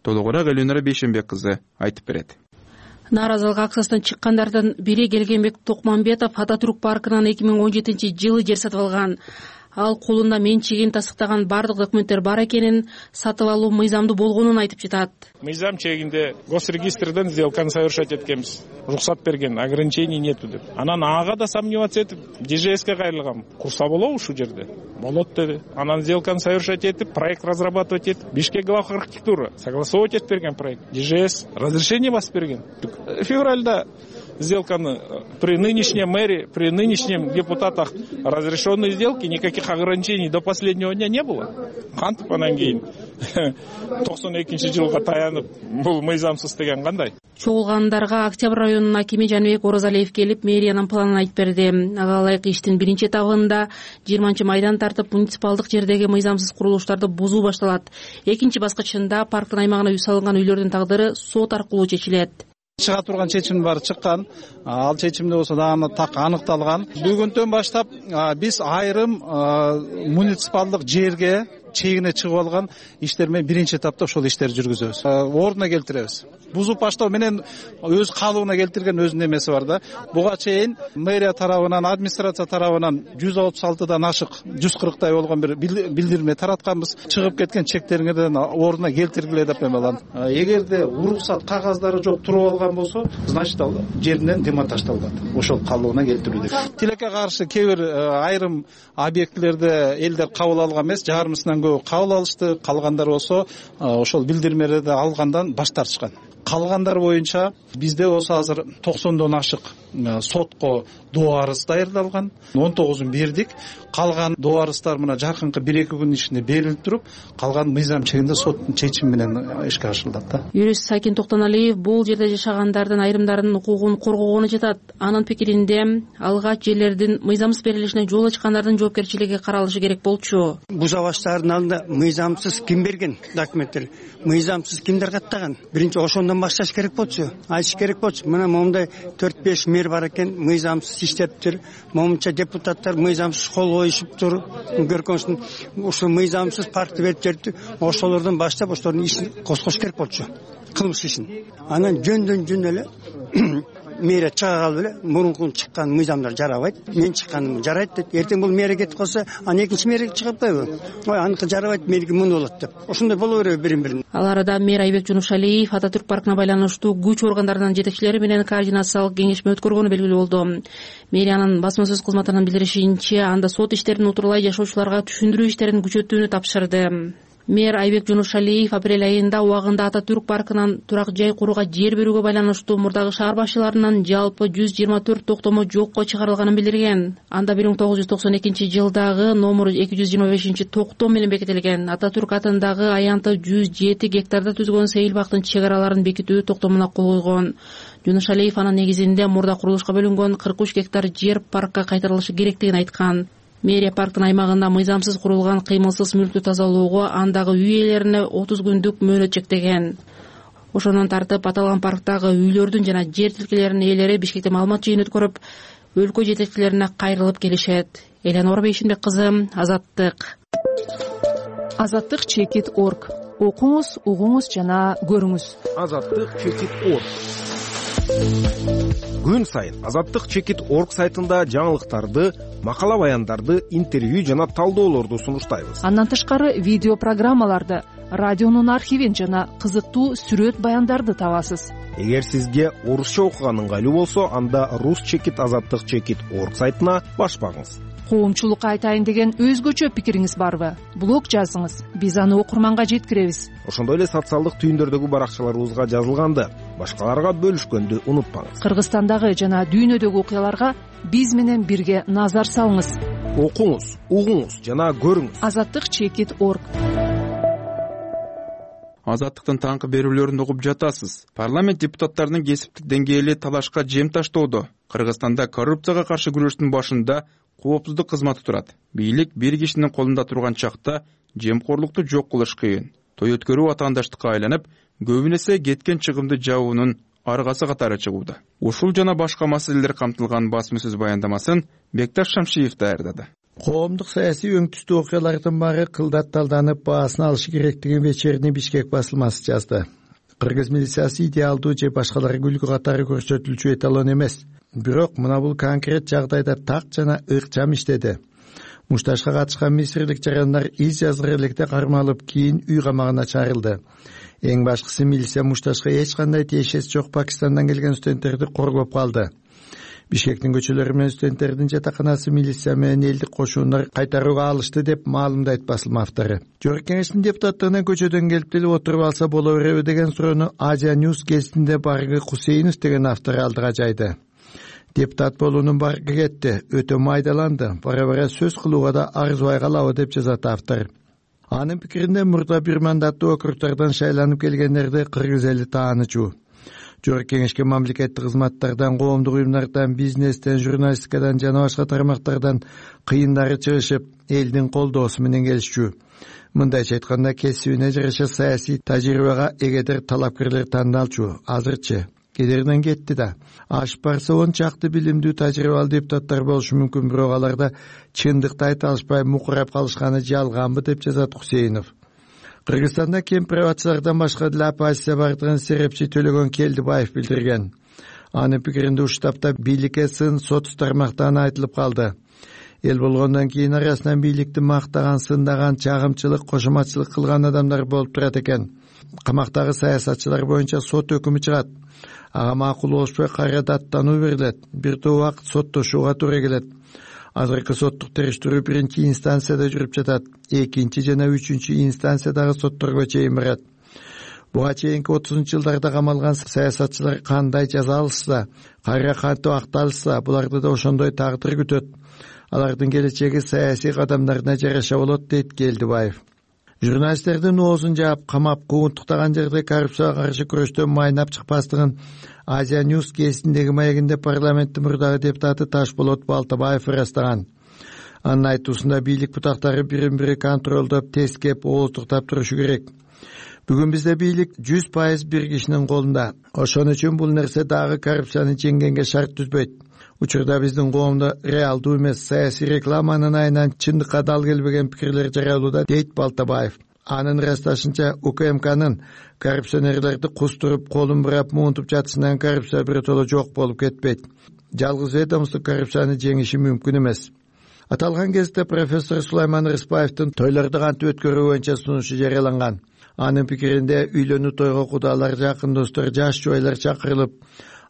Толугураак Элюнара Бейшенбек кызы айтып берет. Нааразылык акциясынан чыккандардын бири Келгенбек Токмамбетов Ататүрк паркынан 2017 жылы жер сатып алган. Ал колунда менчигин тастыктаган бардык документтер бар экенин, сатып алуу мыйзамдуу болгонун айтып жатат. Мыйзам чегинде госрегистрден сделканы совершать эткенбиз. Рухсат берген, ограничений нету деп. Анан ага да сомневаться этип, ДЖСке кайрылгам. Курса болобу ушул жерде? Болот деди. Анан сделканы совершать этип, проект разрабатывать этип, Бишкек глав архитектура согласовывать этип берген проект. ДЖС разрешение басып берген. Февральда сделканы при нынешнем мэре, при нынешнем депутатах разрешенные сделки, никаких ограничений до последнего дня не было. Кантип анан кийин 92-жылга таянып бул мыйзамсыз деген кандай? Чогулгандарга Октябрь районунун акими Жаныбек Орозалиев келип, мэриянын планын айтып берди. Ага ылайык иштин биринчи этабында 20-майдан тартып муниципалдык жердеги мыйзамсыз курулуштарды бузуу башталат. Экинчи баскычында парктын аймагына үй салынган үйлөрдүн тагдыры сот аркылуу чечилет. Чыга турган чечим бар чыккан. Ал чечимде болсо дагы так аныкталган. Бүгүндөн баштап биз айрым муниципалдык жерге чегине чыгып алган иштер менен биринчи этапта ошол иштерди жүргүзөбүз, ордуна келтиребиз. Бузуп баштоо менен өз калыбына келтирген өзүнүн эмеси бар да. Буга чейин мэрия тарабынан, администрация тарабынан 136дан ашык 140тай болгон бир билдирме таратканбыз. Чыгып кеткен чектериңерден ордуна келтиргиле деп эмелан. Эгерде уруксат кагаздары жок туруп алган болсо, значит ал жеринен демонтаждалат. Ошол калыбына келтирүүдө. Тилекке каршы кээ бир айрым объектилерде элдер кабыл алган эмес, жарымысынан көбү кабыл алышты. Калгандар болсо ошол билдирмелерди алгандан баш тартышкан. Калгандар боюнча бизде болсо азыр 90дон ашык сотко доо арыз даярдалган. 19-ун бердик. Калган доо арыздар мына жакынкы 1-2 күн ичинде берилип туруп, калган мыйзам чегинде соттун чечими менен ишке ашырылат да. Юрист Сакин Токтоналиев бул жерде жашагандардын айрымдарынын укугун коргогону жатат. Анын пикиринде алгач жерлердин мыйзамсыз берилишине жол ачкандардын жоопкерчилиги каралышы керек болчу. Буза баштардын алдында мыйзамсыз ким берген документтер, мыйзамсыз кимдер каттаган? Биринчи ошондон башташ керек болчу. Айтыш керек болчу. Мына момундай 4-5 мэр бар экен, мыйзамсыз иштептир. Момунча депутаттар мыйзамсыз кол коюшуп тур. Көркөмсүн ушул мыйзамсыз паркты берип жерди. Ошолордон баштап ошолордун ишин козгош керек болчу. Кылмыш ишин. Анан жөндөн жөн эле мэрия чыга калып эле мурунку чыккан мыйзамдар жарабайт, мен чыкканым жарайт деп. Эртең бул мэрия кетип калса, аны экинчи мэрия чыгып койбу? Ой, аныкы жарабайт, меники муну болот деп. Ошондой боло береби бирин-бирин. Ал арада мэр Айбек Жунушалиев Ататүрк паркына байланыштуу күч органдарынын жетекчилери менен координациялык кеңешме өткөргөнү белгилүү болду. Мэриянын басма сөз кызматынын билдиришинче, анда сот иштерин утурлай жашоочуларга түшүндүрүү иштерин күчөтүүнү тапшырды. Мэр Айбек Жунушалиев апрель айында убагында Ататүрк паркынан турак жай курууга жер берүүгө байланыштуу мурдагы шаар башчыларынын жалпы 124 токтому жокко чыгарылганын билдирген. Анда 1992-жылдагы номер 225-токтом менен бекитилген. Ататүрк атындагы аянты 107 гектарда түзгөн сейил бактын чек араларын бекитүү токтомуна кол койгон. Жунушалиев анын негизинде мурда курулушка бөлүнгөн 43 гектар жер паркка кайтарылышы керектигин айткан. Мэрия парктын аймагында мыйзамсыз курулган кыймылсыз мүлктү тазалоого андагы үй ээлерине 30 күндүк мөөнөт чектеген. Ошондон тартып аталган парктагы үйлөрдүн жана жер тилкелеринин ээлери Бишкекте маалымат жыйын өткөрүп, өлкө жетекчилерине кайрылып келишет. Эленор Бейшимбек кызы, Азаттык. Азаттык.org. Окуңуз, угуңуз жана көрүңүз. Азаттык.org. Күн сайын Азаттык.org сайтында жаңылыктарды, макала баяндарды, интервью жана талдоолорду сунуштайбыз. Андан тышкары видео программаларды, радионун архивин жана кызыктуу сүрөт баяндарды табасыз. Эгер сизге орусча окуган ыңгайлуу болсо, анда Rus.Azаттык.org сайтына баш багыңыз. Коомчулукка айтайын деген өзгөчө пикириңиз барбы? Блог жазыңыз, биз аны окурманга жеткиребиз. Ошондой эле социалдык түйүндөрдөгү баракчаларыбызга жазылганды, башкаларга бөлүшкөндү унутпаңыз. Кыргызстандагы жана дүйнөдөгү окуяларга биз менен бирге назар салыңыз. Окуңуз, угуңуз жана көрүңүз. Azаттык.org. Азаттыктын таңкы берүүлөрүн угуп жатасыз. Парламент депутаттарынын кесиптик деңгээли талашка жем таштоодо. Кыргызстанда коррупцияга каршы күрөштүн башында коопсуздук кызматы турат. Бийлик бир кишинин колунда турган чакта жемкорлукту жок кылыш кыйын. Той өткөрүү атаандаштыкка айланып, көбүн эсе кеткен чыгымды жабуунун аргасы катары чыгууда. Ушул жана башка маселелер камтылган басма сөз баяндамасын Бекташ Шамшиев даярдады. Коомдук саясий өңтүстүү окуялардын баары кылдатталданып баасын алышы керектигин вечерний Бишкек басылмасы жазды. Кыргыз милициясы идеалдуу же башкаларга үлгү катары көрсөтүлчү эталон эмес. Бирок мына бул конкрет жагдайда так жана ыкчам иштеди. Мушташка катышкан мисирлик жарандар из жазгыр электе кармалып, кийин үй камагына чарылды. Эң башкысы милиция Мушташка эч кандай тиешеси жок Пакистандан келген студенттерди коргоп калды. Бишкектин көчөлөрү менен студенттердин жатаканасы милиция менен элдик кошундар кайтарууга алышты деп маалымдайт басылма автору. Жогорку кеңештин депутаттыгына көчөдөн келип деле отуруп алса боло береби деген суроону Азия News гезитинде Баргы Кусейинов деген автор алдыга жайды. Депутат болуунун баргы кетти, өтө майдаланды, бара-бара сөз кылууга да арзубай калабы деп жазат автор. Анын пикиринде мурда бир мандаттуу округдардан шайланып келгендерди кыргыз эли таанычу. Жогорку кеңешке мамлекеттик кызматтардан, коомдук уюмдардан, бизнестен, журналистикадан жана башка тармактардан кыйындары чыгышып, элдин колдоосу менен келишчү. Мындайча айтканда, кесибине жараша саясий тажрыйбага эгедер талапкерлер тандалчу. Азырчы кедеринен кетти да. Ашып барса он чакты билимдүү тажрыйбалуу депутаттар болушу мүмкүн, бирок аларда чындыкты айта алышпай мукурап калышканы жалганбы деп жазат Хусейнов. Кыргызстанда кемпир-абачылардан башка деле оппозиция бардыгын серепчи Төлөгөн Келдибаев билдирген. Анын пикиринде уштапта бийликке сын соц тармактан айтылып калды. Эл болгондон кийин арасынан бийликти мактаган, сындаган, чагымчылык, кошоматчылык кылган адамдар болуп турат экен. Камактагы саясатчылар боюнча сот өкүмү чыгат. Ага макул болушпай кайра даттануу берилет. Бир топ убакыт соттошууга туура келет. Азыркы соттук териштирүү биринчи инстанцияда жүрүп жатат. Экинчи жана үчүнчү инстанциядагы сотторго чейин барат. Буга чейинки 30-жылдарда камалган саясатчылар кандай жаза алышса, кайра кантип акталышса, буларды да ошондой тагдыр күтөт. Алардын келечеги саясий кадамдарына жараша болот, дейт Келдибаев. Журналисттердин оозун жаап, камап, куугунтуктаган жерде коррупцияга каршы күрөштөн майнап чыкпастыгын Азия Ньюс гезитиндеги маегинде парламенттин мурдагы депутаты Ташболот Балтабаев ырастаган. Анын айтуусунда бийлик бутактары бирин-бири контролдоп, тескеп, ооздуктап турушу керек. Бүгүн бизде бийлик 100% бир кишинин колунда. Ошон үчүн бул нерсе дагы коррупцияны жеңгенге шарт түзбөйт. Учурда биздин коомдо реалдуу эмес саясий рекламанын айынан чындыкка дал келбеген пикирлер жарыялууда, дейт Балтабаев. Анын ырасташынча, УКМКнын коррупционерлерди кустуруп, колун бурап, муунтуп жатышынан коррупция биротоло жок болуп кетпейт. Жалгыз ведомство коррупцияны жеңиши мүмкүн эмес. Аталган кезде профессор Сулайман Рыспаевдин тойлорду кантип өткөрүү боюнча сунушу жарыяланган. Анын пикиринде үйлөнүү тойго кудалар, жакын достор, жаш жубайлар чакырылып,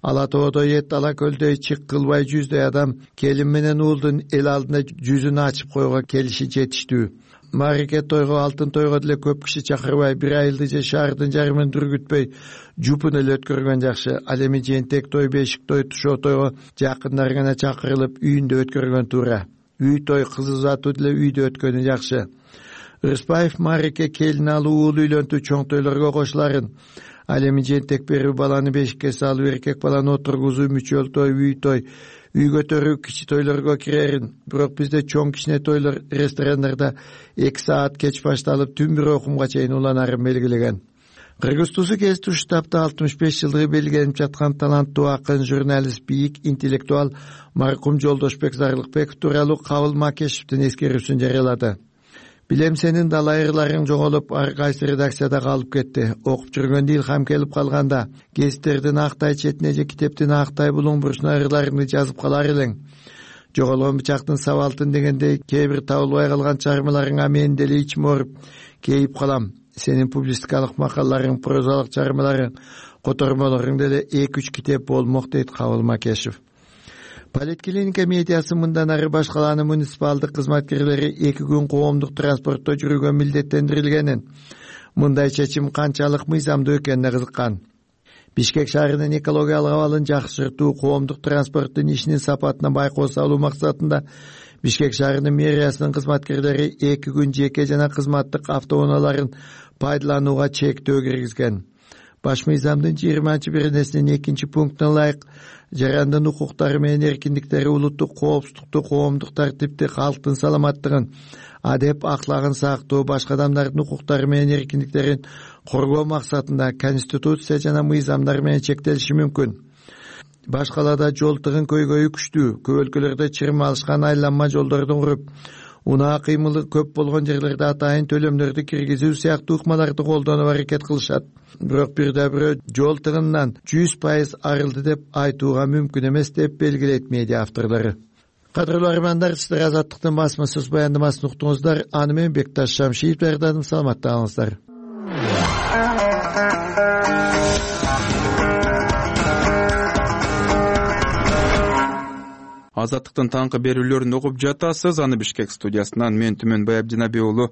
ала тоодо эт, ала көлдөй чык кылбай жүздөй адам келин менен уулдун эл алдында жүзүн ачып койууга келиши жетиштүү. Марике тойго, алтын тойго деле көп киши чакырбай, бир айылды же шаардын жарымын дүргүтпөй, жупун эле өткөргөн жакшы. Ал эми жентек той, бешик той, тушоо тойго жакындар гана чакырылып, үйүндө өткөргөн туура. Үй той, кыз узатуу деле үйдө өткөнү жакшы. Рыспаев Марике келин алуу, уул үйлөнтүү, чоң тойлорго кошуларын, ал эми жентек берүү, баланы бешикке салуу, эркек баланы отургузуу, мүчөл той, үй той, үй көтөрүү кичи тойлорго кирерин. Бирок бизде чоң кичине тойлор ресторандарда 2 саат кеч башталып, түн бир окумга чейин уланарын белгилеген. Кыргыз Тузу гезити штабта 65 жылдыгы белгиленип жаткан таланттуу акын, журналист, бийик интеллектуал маркум Жолдошбек Зарлыкбеков тууралуу Кабыл Макешевдин эскерүүсүн жарыялады. Билем сенин далайырларың жоголуп, ар кайсы редакцияда калып кетти. Окуп жүргөндө илхам келип калганда, гезиттердин актай четине же китептин актай булуң бурчуна ырларыңды жазып калар элең. Жоголгон бычактын сабалтын дегендей, кээ бир табылбай калган чармаларыңа мен деле ичим ооруп, кейип калам. Сенин публистикалык макалаларың, прозалык чармаларың, котормолоруң деле 2-3 китеп болмок, дейт Кабыл Макешев. Политклиника медиасы мындан ары башкаланы муниципалдык кызматкерлери 2 күн коомдук транспортто жүрүүгө милдеттендирилгенин, мындай чечим канчалык мыйзамдуу экенине кызыккан. Бишкек шаарынын экологиялык абалын жакшыртуу, коомдук транспорттун ишинин сапатына байкоо салуу максатында Бишкек шаарынын мэриясынын кызматкерлери 2 күн жеке жана кызматтык автоунааларын пайдаланууга чектөө киргизген. Баш мыйзамдын 20-беренесинин 2 пунктуна ылайык жарандын укуктары менен эркиндиктери улуттук коопсуздукту, коомдук тартипти, калктын саламаттыгын, адеп аклагын сактоо, башка адамдардын укуктары менен эркиндиктерин коргоо максатында конституция жана мыйзамдар менен чектелиши мүмкүн. Башкалада жол тыгын көйгөйү күчтүү, көп өлкөлөрдө чырым алышкан айланма жолдордун куруп, унаа кыймылы көп болгон жерлерде атайын төлөмдөрдү киргизүү сыяктуу ыкмаларды колдонуп аракет кылышат. Бирок бирде-бирөө жол тыгынынан 100% арылды деп айтууга мүмкүн эмес, деп белгилейт медиа авторлору. Кадырлуу армандар, сиздер Азаттыктын басма сөз баяндамасын уктуңуздар. Аны менен Бекташ Шамшиев даярдадым. Саламатта калыңыздар. Азаттыктын таңкы берүүлөрүн угуп жатасыз. Аны Бишкек студиясынан мен Түмөнбай Абдинабий уулу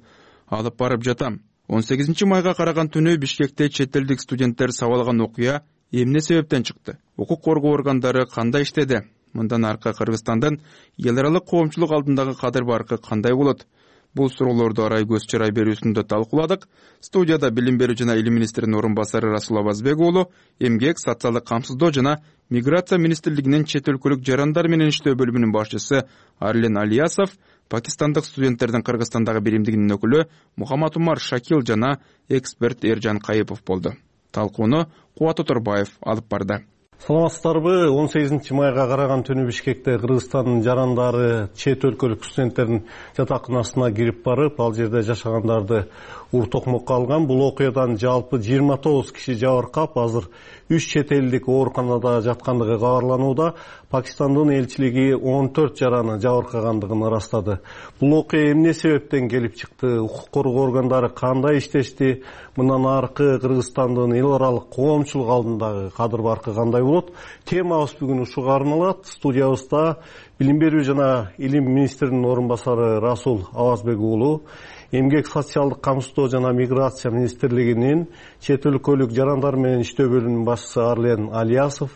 алып барып жатам. 18 майга караган түнү Бишкекте чет элдик студенттер сабалган окуя эмне себептен чыкты? Укук коргоо органдары кандай иштеди? Мындан аркы Кыргызстандын эл аралык коомчулук алдындагы кадыр баркы кандай болот? Бул суроолорду арай көз чырай берүүсүндө талкууладык. Студияда билим берүү жана илим министринин орун басары Расул Абазбек уулу, эмгек, социалдык камсыздоо жана миграция министрлигинин чет өлкөлүк жарандар менен иштөө бөлүмүнүн башчысы Арлен Алиясов, пакистандык студенттердин Кыргызстандагы биримдигинин өкүлү Мухаммад Умар Шакил жана эксперт Эржан Кайыпов болду. Талкууну Кубат Оторбаев алып барды. Саламатсыздарбы? 18 майга караган түнү Бишкекте Кыргызстандын жарандары чет өлкөлүк студенттердин жатаканасына кирип барып, ал жерде жашагандарды ур токмокко алган. Бул окуядан жалпы 29 киши жабыркап, азыр 3 чет элдик ооруканада жаткандыгы кабарланууда. Пакистандын элчилиги 14 жараны жабыркагандыгын ырастады. Бул окуя эмне себептен келип чыкты? Укук коргоо органдары кандай иштешти? Мындан аркы Кыргызстандын эл аралык коомчулук алдындагы кадыр баркы кандай болот? Темабыз бүгүн ушуга арналат. Студиябызда Билим берүү жана илим министринин орун басары Расул Авазбек уулу, Эмгек социалдык камсыздоо жана миграция министрлигинин чет өлкөлүк жарандар менен иштөө бөлүмүнүн башчысы Арлен Алиясов,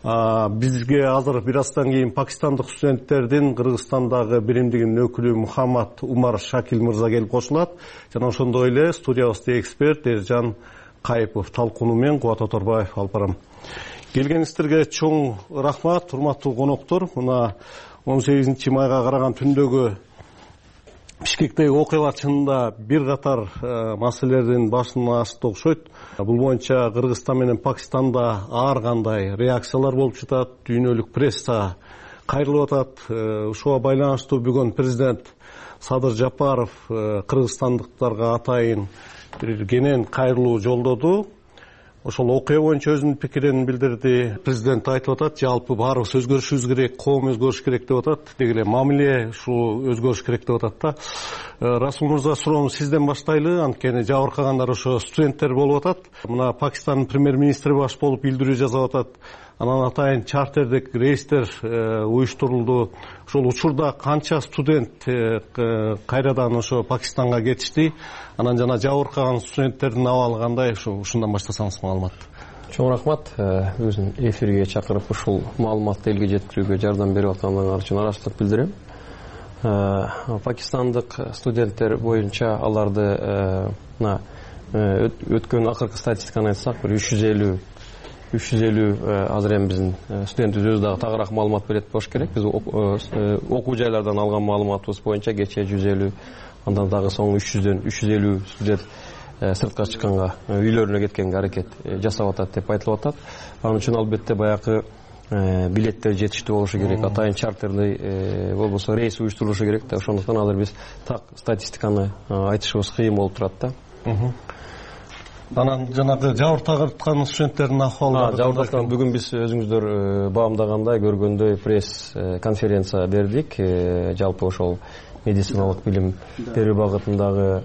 бизге азыр бир аздан кийин пакистандык студенттердин Кыргызстандагы биримдигинин өкүлү Мухаммад Умар Шакил мырза келип кошулат. Жана ошондой эле студиябызда эксперт Эржан Кайыпов, талкууну мен Кубат Оторбаев алып барам. Келгениңиздерге чоң рахмат, урматтуу коноктор. Мына 18 майга караган түндөгү Бишкектеги окуялар чынында бир катар маселелердин башын ачты окшойт. Бул боюнча Кыргызстан менен Пакистанда ар кандай реакциялар болуп жатат, дүйнөлүк пресса кайрылып атат. Ушуга байланыштуу бүгүн президент Садыр Жапаров кыргызстандыктарга атайын бир кенен кайрылуу жолдоду. Ошол окуя боюнча өзүнүн пикирин билдирди. Президент айтып атат, жалпы баарыбыз өзгөрүшүбүз керек, коом өзгөрүш керек деп атат. Деги эле мамиле ушул өзгөрүш керек деп атат да. Расул мырза, суроону сизден баштайлы. Анткени жабыркагандар ошо студенттер болуп атат. Мына Пакистандын премьер-министри баш болуп билдирүү жасап атат. Анан атайын чартердик рейстер уюштурулду. Ошол учурда канча студент кайрадан ошо Пакистанга кетишти? Анан жана жабыркаган студенттердин абалы кандай? Ушундан баштасаңыз маалымат. Чоң рахмат. Өзүн эфирге чакырып ушул маалыматты элге жеткирүүгө жардам берип атканыңар үчүн ыраазычылык билдирем. Пакистандык студенттер боюнча аларды өткөн акыркы статистиканы айтсак, бир 350 азыр эми биздин студентибиз өзү дагы тагыраак маалымат берет болуш керек. Биз окуу жайлардан алган маалыматыбыз боюнча кечээ 150, андан дагы соң 350 студент сыртка чыкканга, үйлөрүнө кеткенге аракет жасап атат деп айтылып атат. Анын үчүн албетте баягы билеттер жетиштүү болушу керек, атайын чартерный болбосо рейс уюштурулушу керек да. Ошондуктан азыр биз так статистиканы айтышыбыз кыйын болуп турат да. Анан жанагы жабыркаган студенттердин акыбалы жабыркаган бүгүн биз өзүңүздөр баамдагандай, көргөндөй пресс конференция бердик. Жалпы ошол медициналык билим берүү багытындагы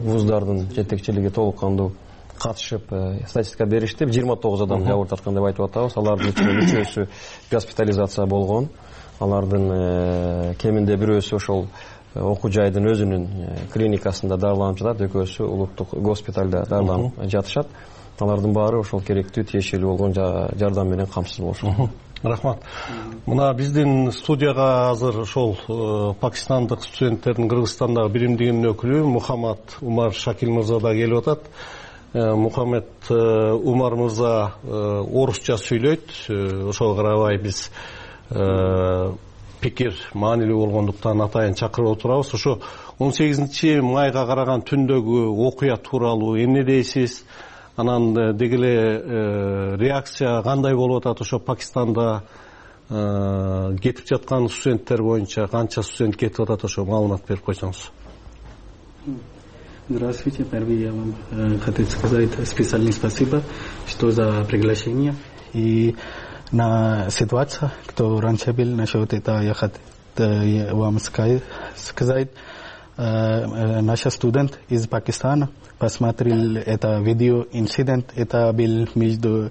вуздардын жетекчилиги толук кандуу катышып статистика беришти. 29 адам жабыр тарткан деп айтып атабыз. Алардын ичинен 3-өсү госпитализация болгон. Алардын кеминде бирөөсү ошол окуу жайдын өзүнүн клиникасында дарыланып жатат, экөөсү улуттук госпиталда дарыланып жатышат. Алардын баары ошол керектүү тиешелүү болгон жардам менен камсыз болушат. Рахмат. Мына биздин студияга азыр ошол пакистандык студенттердин Кыргызстандагы биримдигинин өкүлү Мухаммад Умар Шакил мырза да келип атат. Мухаммад Умар мырза орусча сүйлөйт. Ошого карабай биз пикир маанилүү болгондуктан атайын чакырып отурабыз. Ошо 18 майга караган түндөгү окуя тууралуу эмне дейсиз? Анан деги эле реакция кандай болуп атат? Ошо Пакистанда кетип жаткан студенттер боюнча канча студент кетип атат? Ошо маалымат берип койсоңуз. Здравствуйте. Первый я вам хочу сказать специальное спасибо, что за приглашение. И на ситуацию, кто раньше был насчет этого, я хочу вам сказать. Наш студент из Пакистана посмотрел это видео инцидент. Это был между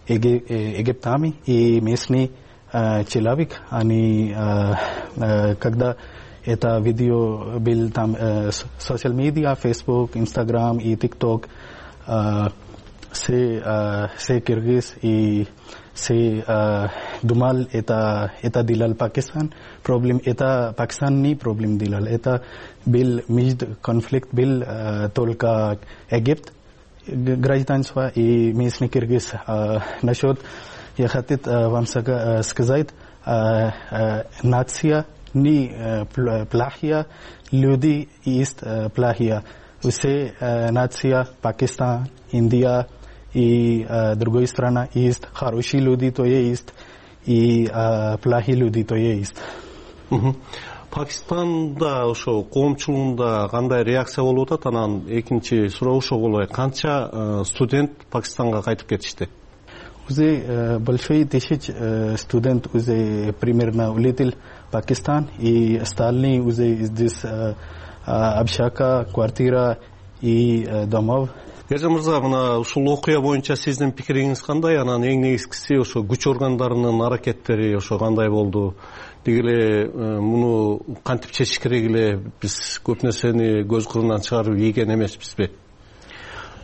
египтами и местный человек. Они, когда это видео был там социал медиа, Facebook, Instagram и TikTok, все киргиз и все думал это делал Пакистан. Проблем это Пакистан не проблем делал. Это был между конфликт был только Египет гражданство и местный киргиз. Насчет я хотел вам сказать, нация не плохая, люди есть плохие. Все нация Пакистан, Индия и другой страна есть, хорошие люди то есть, и плохие люди то есть. Пакистанда ошо коомчулугунда кандай реакция болуп атат? Анан экинчи суроо ошого эле, канча студент Пакистанга кайтып кетишти? Уже большой тысяч студент уже примерно улетел в Пакистан, и остальные уже здесь общага, квартира и домов. Ержан мырза, мына ушул окуя боюнча сиздин пикириңиз кандай? Анан эң негизгиси ошо күч органдарынын аракеттери ошо кандай болду? Деги эле муну кантип чечиш керек эле? Биз көп нерсени көз кырынан чыгарып ийген эмеспизби?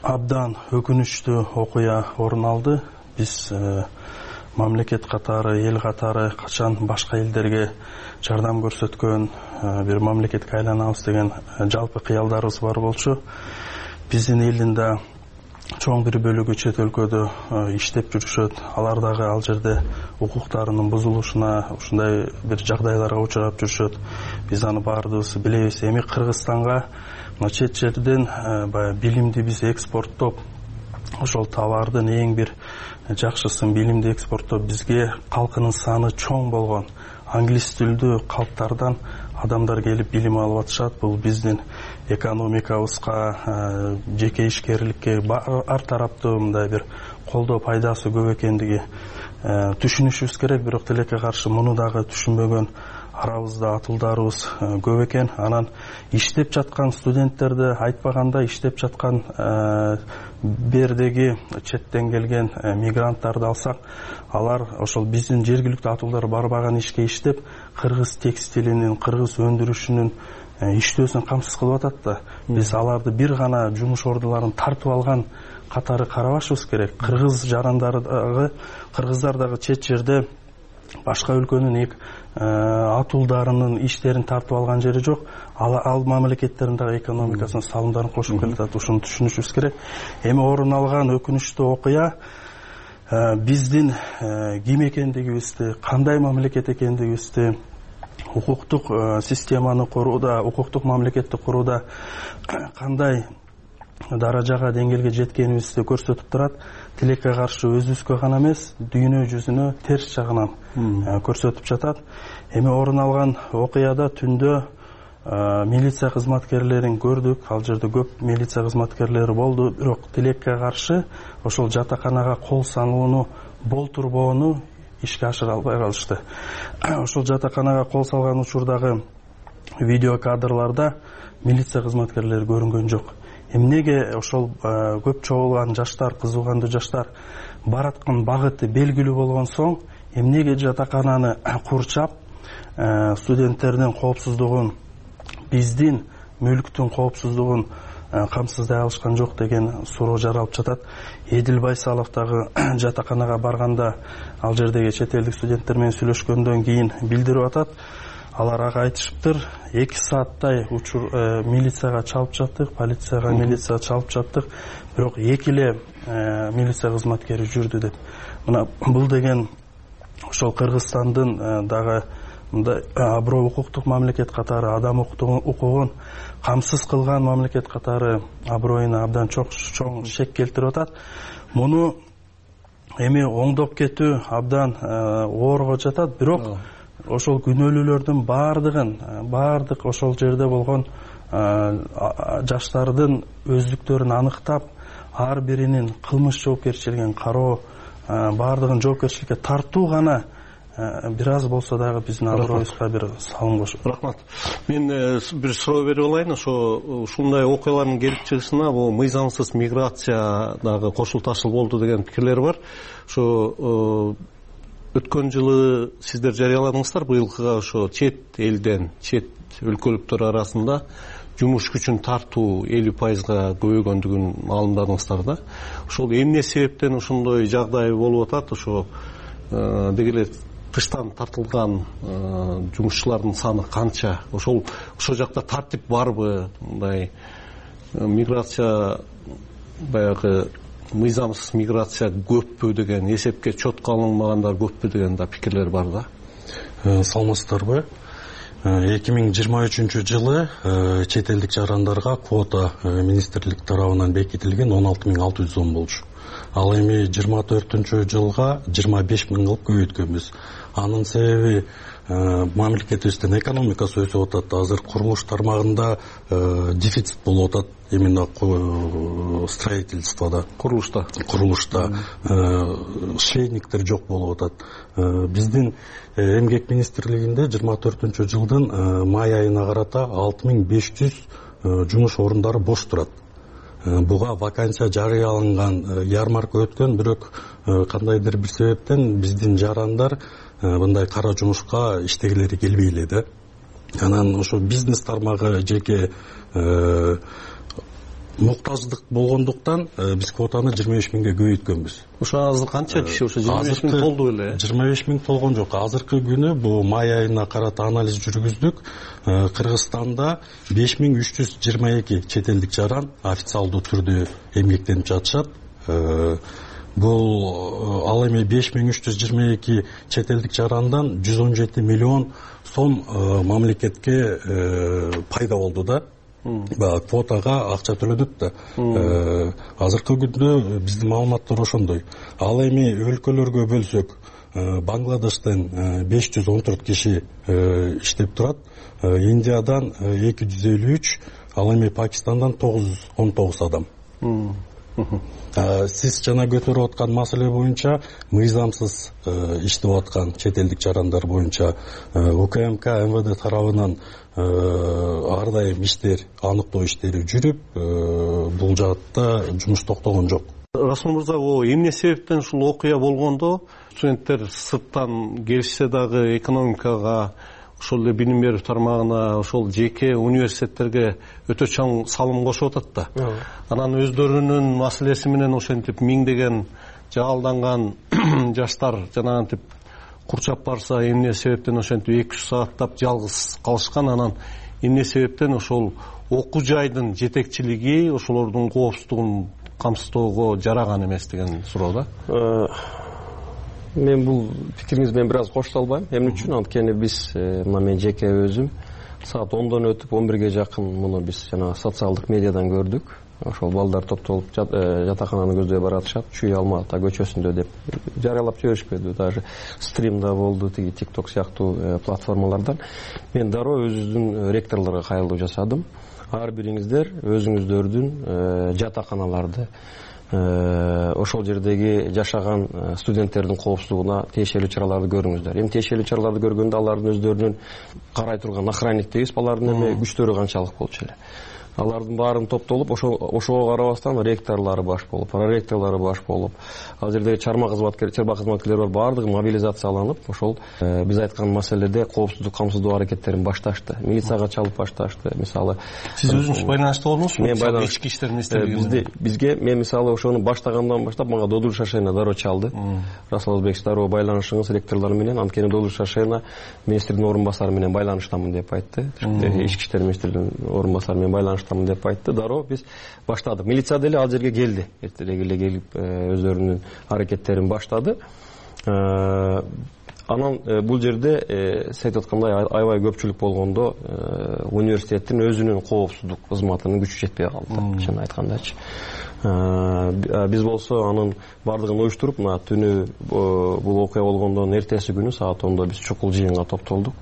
Абдан өкүнүчтүү окуя орун алды. Биз мамлекет катары, эл катары качан башка элдерге жардам көрсөткөн бир мамлекетке айланабыз деген жалпы кыялдарыбыз бар болчу. Биздин элдин да чоң бир бөлүгү чет өлкөдө иштеп жүрүшөт. Алар дагы ал жерде укуктарынын бузулушуна, ушундай бир жагдайларга учурап жүрүшөт. Биз аны баардыгыбыз билебиз. Эми Кыргызстанга чет жерден баягы билимди биз экспорттоп, ошол товардын эң бир жакшысын билимди экспорттоп, бизге калкынын саны чоң болгон англис тилдүү калктардан адамдар келип билим алып атышат. Бул биздин экономикабызга, жеке ишкерликке ар тараптуу мындай бир колдоо пайдасы көп экендиги түшүнүшүбүз керек. Бирок тилекке каршы муну дагы түшүнбөгөн арабызда атуулдарыбыз көп экен. Анан иштеп жаткан студенттерди айтпаганда, иштеп жаткан бердеги четтен келген мигранттарды алсак, алар ошол биздин жергиликтүү атуулдар барбаган ишке иштеп, кыргыз текстилинин, кыргыз өндүрүшүнүн иштөөсүн камсыз кылып атат да. Биз аларды бир гана жумуш ордуларын тартып алган катары карабашыбыз керек. Кыргыздар дагы чет жерде башка өлкөнүн атуулдарынын иштерин тартып алган жери жок. Ал мамлекеттердин дагы экономикасына салымдарын кошуп келатат. Ушуну түшүнүшүбүз керек. Эми орун алган өкүнүчтүү окуя биздин ким экендигибизди, кандай мамлекет экендигибизди, укуктук системаны курууда, укуктук мамлекетти курууда кандай даражага, деңгээлге жеткенибизди көрсөтүп турат. Тилекке каршы өзүбүзгө гана эмес, дүйнө жүзүнө терс жагынан көрсөтүп жатат. Эми орун алган окуяда түндө милиция кызматкерлерин көрдүк. Ал жерде көп милиция кызматкерлери болду. Бирок тилекке каршы ошол жатаканага кол салууну болтурбоону ишке ашыра албай калышты. Ошол жатаканага кол салган учурдагы видео кадрларда милиция кызматкерлери көрүнгөн жок. Эмнеге ошол көп чогулган жаштар, кызыгандуу жаштар бараткан багыты белгилүү болгон соң, эмнеге жатакананы курчап, студенттердин коопсуздугун, биздин мүлктүн коопсуздугун камсыздай алышкан жок деген суроо жаралып жатат. Эдил Байсалов дагы жатаканага барганда, ал жердеги чет элдик студенттер менен сүйлөшкөндөн кийин билдирип атат. Алар ага айтышыптыр, 2 сааттай милицияга чалып жаттык, полицияга, милицияга чалып жаттык, бирок 2 эле милиция кызматкери жүрдү деп. Мына бул деген ошол Кыргызстандын дагы мындай аброй укуктук мамлекет катары, адам укугун камсыз кылган мамлекет катары аброюна абдан чоң шек келтирип атат. Муну эми оңдоп кетүү абдан оорго жатат, бирок ошол күнөөлүүлөрдүн баардык ошол жерде болгон жаштардын өздүктөрүн аныктап, ар биринин кылмыш жоопкерчилигин кароо, баардыгын жоопкерчиликке тартуу гана бир аз болсо дагы биздин аброюбузга бир салым кошот. Рахмат. Мен бир суроо берип алайын. Ушундай окуялардын келип чыгышына бул мыйзамсыз миграция дагы кошул ташыл болду деген пикирлер бар. Ошо өткөн жылы сиздер жарыяладыңыздар, быйылкыга ошо чет элден, чет өлкөлүктөр арасында жумуш күчүн тартуу 50%га көбөйгөндүгүн маалымдадыңыздар да. Ошол эмне себептен ошондой жагдай болуп атат? Ошо деги эле тыштан тартылган жумушчулардын саны канча? Ошол жакта тартип барбы? Мындай миграция, баягы мыйзамсыз миграция көппү деген, эсепке четко алынбагандар көппү деген да пикирлер бар да. Саламатсыздарбы? 2023 жылы чет элдик жарандарга квота министрлик тарабынан бекитилген 16610 болчу. ал эми 24-жылга 25 миң кылып көбөйткөнбүз. Анын себеби мамлекетибиздин экономикасы өсүп атат. Азыр курулуш тармагында дефицит болуп атат. Именно строительствода, курулушта швейниктер жок болуп атат. Биздин эмгек министрлигинде 24-жылдын май айына карата 6500 жумуш орундары бош турат. Буга вакансия жарыяланган, ярмарка өткөн, бирок кандайдыр бир себептен биздин жарандар мындай кара жумушка иштегилери келбей эле да. Анан ошо бизнес тармагы жеке муктаждык болгондуктан биз квотаны 25 миңге көбөйткөнбүз. Ошо азыр канча киши ошо 25 миң толду эле? 25 миң толгон жок. Азыркы күнү бул май айына карата анализ жүргүздүк. Кыргызстанда 5322 чет элдик жаран официалдуу түрдө эмгектенип жатышат. Бул ал эми 5322 чет элдик жарандан 117 миллион сом мамлекетке пайда болду да. Квотага акча төлөдүк да. Азыркы күндө биздин маалыматтар ошондой. Ал эми өлкөлөргө бөлсөк, Бангладештен 514 киши иштеп турат, Индиядан 253, ал эми Пакистандан 919 адам. Сиз жана көтөрүп аткан маселе боюнча мыйзамсыз иштеп аткан чет элдик жарандар боюнча УКМК МВД тарабынан ар дайым иштер, аныктоо иштери жүрүп, бул жаатта жумуш токтогон жок. Расул мырза, эмне себептен ушул окуя болгондо студенттер сырттан келишсе дагы экономикага, ошол эле билим берүү тармагына, ошол жеке университеттерге өтө чоң салым кошуп атат да. Анан өздөрүнүн маселеси менен ошентип миңдеген жаалданган жаштар жанагынтип курчап барса, эмне себептен ошентип 200 сааттап жалгыз калышкан. Анан эмне себептен ошол окуу жайдын жетекчилиги ошолордун коопсуздугун камсыздоого жараган эмес деген суроо да. Мен бул пикириңиз менен бир аз кошуло албайм. Эмне үчүн? Анткени биз мына мен жеке өзүм саат 10дон өтүп 11ге жакын муну биз жана социалдык медиадан көрдүк. Ошол балдар топтолуп жатакананы көздөй баратышат, Чүй Алмата көчөсүндө деп жарыялап жиберишпеди. Даже стримда болду, тиги TikTok сыяктуу платформалардан. Мен дароо өзүбүздүн ректорлорго кайрылуу жасадым. Ар бириңиздер өзүңүздөрдүн жатаканаларды, ошол жердеги жашаган студенттердин коопсуздугуна тиешелүү чараларды көрүңүздөр. Эми тиешелүү чараларды көргөндө алардын өздөрүнүн карай турган охранник дейбиз, алардын эми күчтөрү канчалык болчу эле. Алардын баарын топтолуп, ошого карабастан ректорлору баш болуп, проректорлору баш болуп, ал жердеги чарба кызматкерлери бар, баардыгы мобилизацияланып, ошол биз айткан маселеде коопсуздук камсыздоо аракеттерин башташты. Милицияга чалып башташты. Мисалы, сиз өзүңүз байланышта болдуңузбу? Мен байланыш ички иштер министрлиги бизге мен мисалы ошону баштагандан баштап мага Додур Шашена дароо чалды. Расул Озбекович, дароо байланышыңыз ректорлор менен, анткени Додур Шашена министрдин орун басары менен байланыштамын деп айтты. Ички иштер министринин орун басары менен байланыш деп айтты. Дароо биз баштадык. Милиция деле ал жерге келди. Эртерээк эле келип өздөрүнүн аракеттерин баштады. Анан бул жерде сиз айтып аткандай аябай көпчүлүк болгондо университеттин өзүнүн коопсуздук кызматынын күчү жетпей калды. Чын айткандачы. Биз болсо анын баардыгын уюштуруп, мына түнү бул окуя болгондон эртеси күнү саат 10до биз чукул жыйынга топтолдук.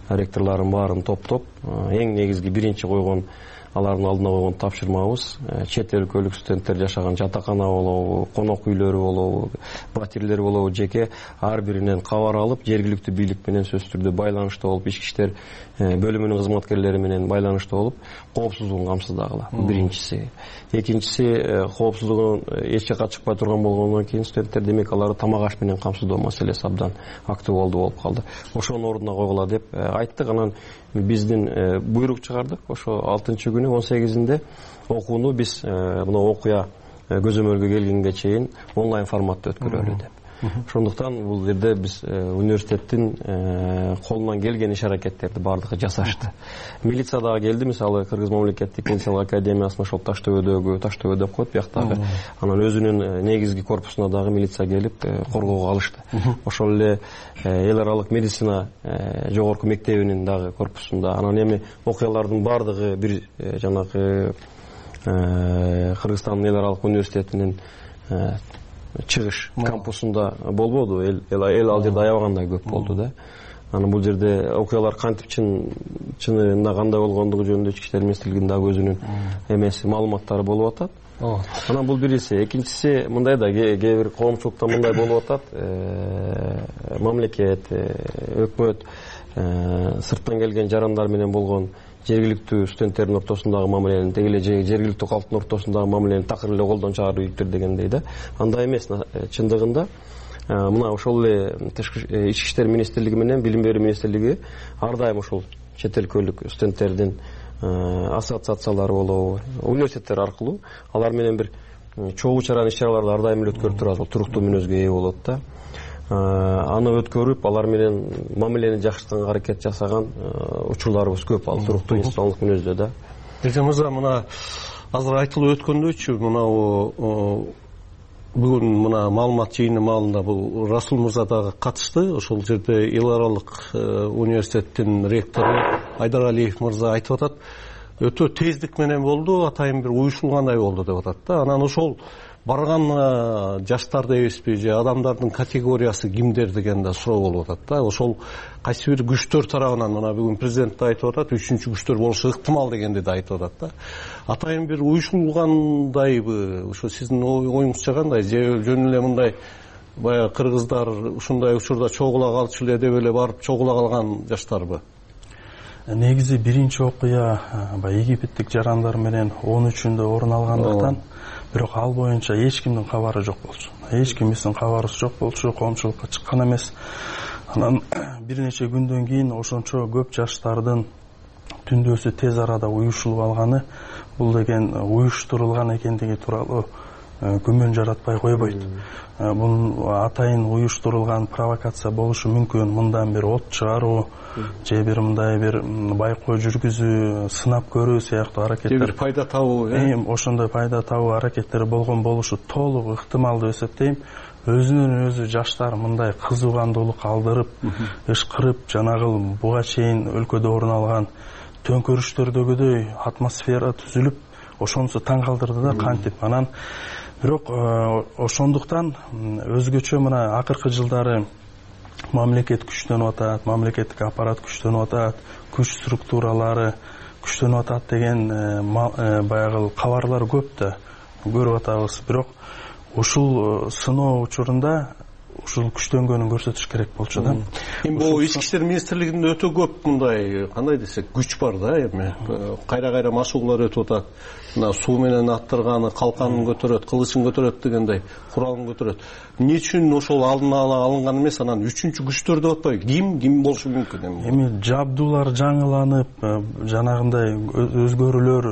Ректорлордун баарын топтоп, эң негизги биринчи койгон алардын алдына койгон тапшырмабыз чет өлкөлүк студенттер жашаган жатакана болобу, конок үйлөрү болобу, батирлер болобу, жеке ар биринен кабар алып, жергиликтүү бийлик менен сөзсүз түрдө байланышта болуп, ички иштер бөлүмүнүн кызматкерлери менен байланышта болуп, коопсуздугун камсыздагыла. Биринчиси. Экинчиси, коопсуздугун эч жакка чыкпай турган болгондон кийин студенттер демек аларды тамак аш менен камсыздоо маселеси абдан актуалдуу болуп калды. Ошонун ордуна койгула деп айттык. Анан биздин буйрук чыгардык. Ошо 6-күнү 18-инде окууну биз мына окуя көзөмөлгө келгенге чейин онлайн форматта өткөрөлү деп. Ошондуктан бул жерде биз университеттин колунан келген иш аракеттерди баардыгы жасашты. Милиция дагы келди, мисалы Кыргыз мамлекеттик милициялык академиясына ошол Таштөбөдөгү, Таштөбө деп коет бияктагы, анан өзүнүн негизги корпусуна дагы милиция келип коргоого алышты. Ошол эле эл аралык медицина жогорку мектебинин дагы корпусунда. Анан эми окуялардын баардыгы бир жанагы Кыргызстандын эл аралык университетинин чыгыш кампусунда болбоду, эл ал жерде аябагандай көп болду да. Анан бул жерде окуялар кантип чынында кандай болгондугу жөнүндө ички иштер министрлигинин дагы өзүнүн эмеси маалыматтары болуп атат. Анан бул биринчиси. Экинчиси мындай да, кээ бир коомчулукта мындай болуп атат. Мамлекет, өкмөт сырттан келген жарандар менен болгон жергиликтүү студенттердин ортосундагы мамилени, деги эле жергиликтүү калктын ортосундагы мамилени такыр эле колдон чыгарып ийиптир дегендей да. Андай эмес. Чындыгында мына ошол эле ички иштер министрлиги менен билим берүү министрлиги ар дайым ошол чет өлкөлүк студенттердин ассоциациялары болобу, университеттер аркылуу алар менен бир чогуу чаран иш-чараларды ар дайым эле өткөрүп турат, туруктуу мүнөзгө ээ болот да. Аны өткөрүп, алар менен мамилени жакшыртганга аракет жасаган учурларыбыз көп, ал туруктуу институционалдык мүнөздө да. Эже мырза, мына азыр айтылып өткөндөйчү, мына бүгүн мына маалымат жыйыны маалында бул Расул мырза дагы катышты. Ошол жерде эл аралык университеттин ректору Айдар Алиев мырза айтып атат, өтө тездик менен болду, атайын бир уюшулгандай болду деп атат да. Анан ошол барган жаштар дебизби же адамдардын категориясы кимдер деген да суроо болуп атат да. Ошол кайсы бир күчтөр тарабынан, мына бүгүн президент да айтып атат, үчүнчү күчтөр болушу ыктымал дегенди да айтып атат да. Атайын бир уюшулгандайбы, ошо сиздин оюңузча кандай? Же жөн эле мындай баягы кыргыздар ушундай учурда чогула калчу эле деп эле барып чогула калган жаштарбы? Негизи биринчи окуя баягы египеттик жарандар менен 13-үндө орун алгандыктан, бирок ал боюнча эч кимдин кабары жок болчу. Эч кимдин кабары жок болчу, коомчулукка чыккан эмес. Анан бир нече күндөн кийин ошончо көп жаштардын түндөсү тез арада уюшулуп алганы, бул деген уюштурулган экендиги тууралуу күмөн жаратпай койбойт. Бул атайын уюштурулган провокация болушу мүмкүн. Мындан бир от чыгаруу же бир мындай бир байкоо жүргүзүү, сынап көрүү сыяктуу аракеттер, бир пайда табуу, ошондой пайда табуу аракеттери болгон болушу толук ыктымал деп эсептейм. Өзүнөн өзү жаштар мындай кызугандуулук алдырып, ышкырып, жанагы буга чейин өлкөдө орун алган төңкөрүштөрдөгүдөй атмосфера түзүлүп, ошонусу таң калтырды да кантип. Анан бирок ошондуктан өзгөчө мына акыркы жылдары мамлекет күчтөнүп атат, мамлекеттик аппарат күчтөнүп атат, күч структуралары күчтөнүп атат деген баягы кабарлар көп да көрүп атабыз. Бирок ушул сыноо учурунда ушул күчтөнгөнүн көрсөтүш керек болчу да. Эми бул ички иштер министрлигинде өтө көп мындай, кандай десек, күч бар да. Эми кайра машыгуулар өтүп атат. Мына суу менен аттырганы, калканын көтөрөт, кылычын көтөрөт дегендей, куралын көтөрөт. Эмне үчүн ошол алдын ала алынган эмес, анан үчүнчү күчтөр деп атпайбы? Ким болушу мүмкүн эми? Эми жабдуулар жаңыланып, жанагындай өзгөрүүлөр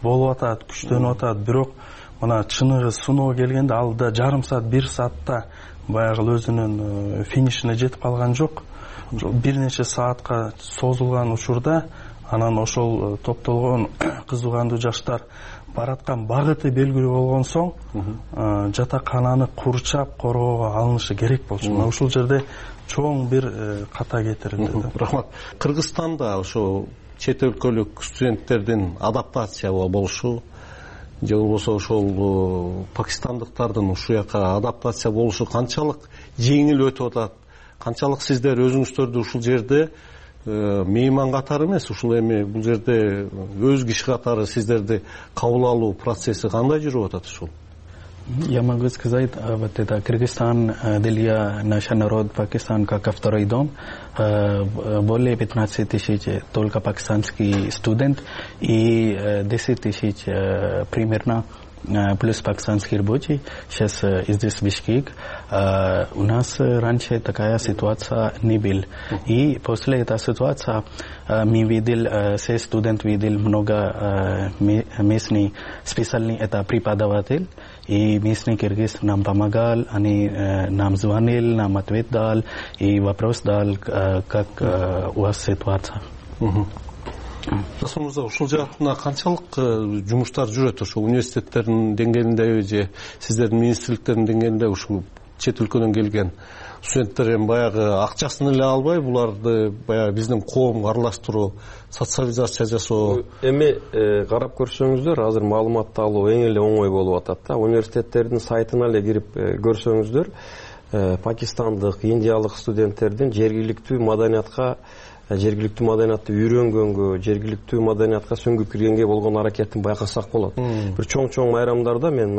болуп атат, күчтөнүп атат. Бирок мына чыныгы сыноо келгенде ал да жарым саат, 1 саатта баягы өзүнүн финишине жетип калган жок. Бир нече саатка созулган учурда анан ошол топтолгон кызугандуу жаштар бараткан багыты белгилүү болгон соң жатакананы курчап короого алынышы керек болчу. Мына ушул жерде чоң бир ката кетирилди. Рахмат. Кыргызстанда ошо чет өлкөлүк студенттердин адаптация болушу же болбосо ошол пакистандыктардын ушул жака адаптация болушу канчалык жеңил өтүп атат? Канчалык сиздер өзүңүздөрдү ушул жерде мейман катары эмес, ушул эми бул жерде өз киши катары сиздерди кабыл алуу процесси кандай жүрүп атат ушул? Я могу сказать, вот это Кыргызстан для нашего народа, Пакистан как второй дом, более 15 тысяч только пакистанский студент и 10 тысяч примерно плюс пакистанский рабочий. Сейчас здесь в Бишкек. У нас раньше такая ситуация не была. И после этой ситуации мы видели, все студенты видели много местный специальный это преподаватель. И местный киргиз нам помогал, они нам звонили, нам ответ дал и вопрос дал, как у вас ситуация. Расул мырза, ушул жаатына канчалык жумуштар жүрөт? Ошо университеттердин деңгээлиндеби же сиздердин министрликтердин деңгээлинде ушул чет өлкөдөн келген студенттер эми баягы акчасын эле албай, буларды баягы биздин коомго аралаштыруу, социализация жасоо. Эми карап көрсөңүздөр, азыр маалыматты алуу эң эле оңой болуп атат да. Университеттердин сайтына эле кирип көрсөңүздөр, пакистандык, индиялык студенттердин жергиликтүү маданиятты үйрөнгөнгө, жергиликтүү маданиятка сөңгүп киргенге болгон аракетин байкасак болот. Бир чоң майрамдарда мен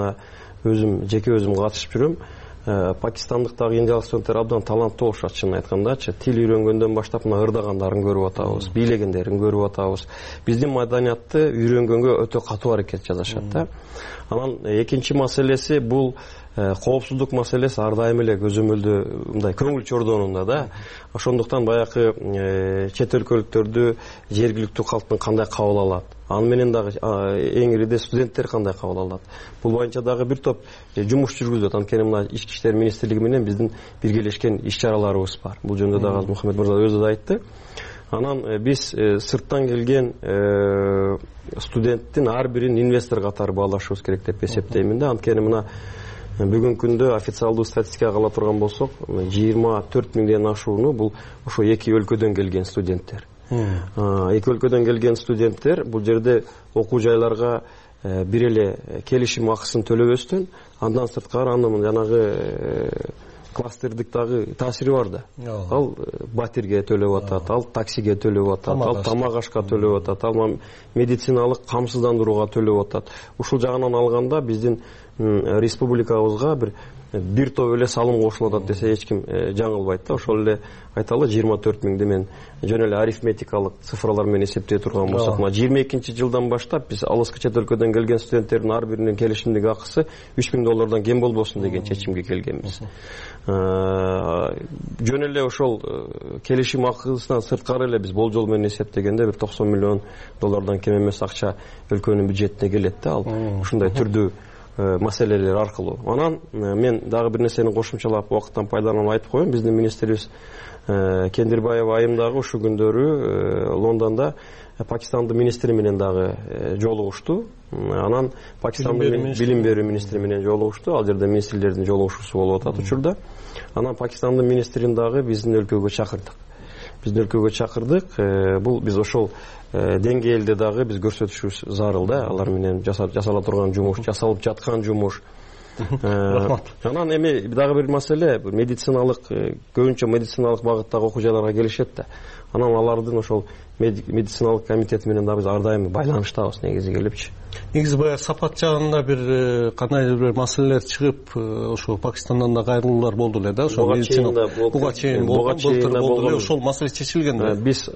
жеке өзүм катышып жүрөм. Пакистандыктагы индиялык студенттер абдан таланттуу болушат, чынын айткандачы. Тил үйрөнгөндөн баштап мына ырдагандарын көрүп атабыз, бийлегендерин көрүп атабыз. Биздин маданиятты үйрөнгөнгө өтө катуу аракет жасашат да. Анан экинчи маселеси бул коопсуздук маселеси ар дайым эле көзөмөлдө мындай көңүл чордоонунда да. Ошондуктан баягы чет өлкөлүктөрдү жергиликтүү калктын кандай кабыл алат, аны менен дагы эң ириде студенттер кандай кабыл алат. Бул боюнча дагы бир топ жумуш жүргүзүлөт. Анткени мына Ички иштер министрлиги менен биздин биргелешкен иш-чараларыбыз бар. Бул жөнүндө дагы Мухаммед мырза өзү да айтты. Анан биз сырттан келген студенттин ар бирин инвестор катары баалашыбыз керек деп эсептеймин да. Анткени мына бүгүнкү күндө официалдуу статистикага ала турган болсок, 24 миңден ашууну бул ошо эки өлкөдөн келген студенттер. Эки өлкөдөн келген студенттер бул жерде окуу жайларга бир эле келишим акысын төлөбөстөн, андан сырткары анын жанагы кластердик дагы таасири бар да. Ал батирге төлөп атат, ал таксиге төлөп атат, ал тамак ашка төлөп атат, ал медициналык камсыздандырууга төлөп атат. Ушул жагынан алганда биздин республикабызга бир топ эле салым кошулуп атат десе эч ким жаңылбайт да. Ошол эле айталы 24 миңди мен жөн эле арифметикалык цифралар менен эсептей турган болсок, 22-жылдан баштап биз алыскы чет өлкөдөн келген студенттердин ар биринин келишимдик акысы $3000 кем болбосун деген чечимге келгенбиз. Жөн эле ошол келишим акысынан сырткары эле биз болжол менен эсептегенде бир $90 миллион кем эмес акча өлкөнүн бюджетине келет да. Ал ушундай түрдүү маселелер аркылуу. Анан мен дагы бир нерсени кошумчалап убакыттан пайдаланып айтып коеюн. Биздин министрибиз Кендирбаева айым дагы ушул күндөрү Лондондо Пакистандын министри менен дагы жолугушту. Анан Пакистандын билим берүү министри менен жолугушту. Ал жерде министрлердин жолугушуусу болуп атат учурда. Анан Пакистандын министрин дагы биздин өлкөгө чакырдык. Бул биз ошол деңгээлде дагы биз көрсөтүшүбүз зарыл да. Алар менен жасала турган жумуш, жасалып жаткан жумуш. Анан эми дагы бир маселе, медициналык, көбүнчө медициналык багыттагы окуу жайларга келишет да. Анан алардын ошол медициналык комитети менен дагы биз ар дайым байланыштабыз негизи келипчи. Негизи баягы сапат жагында бир кандайдыр бир маселелер чыгып, ошо Пакистандан да кайрылуулар болду эле да. Ошо медицина буга чейин болгон ошол маселе чечилген да. Биз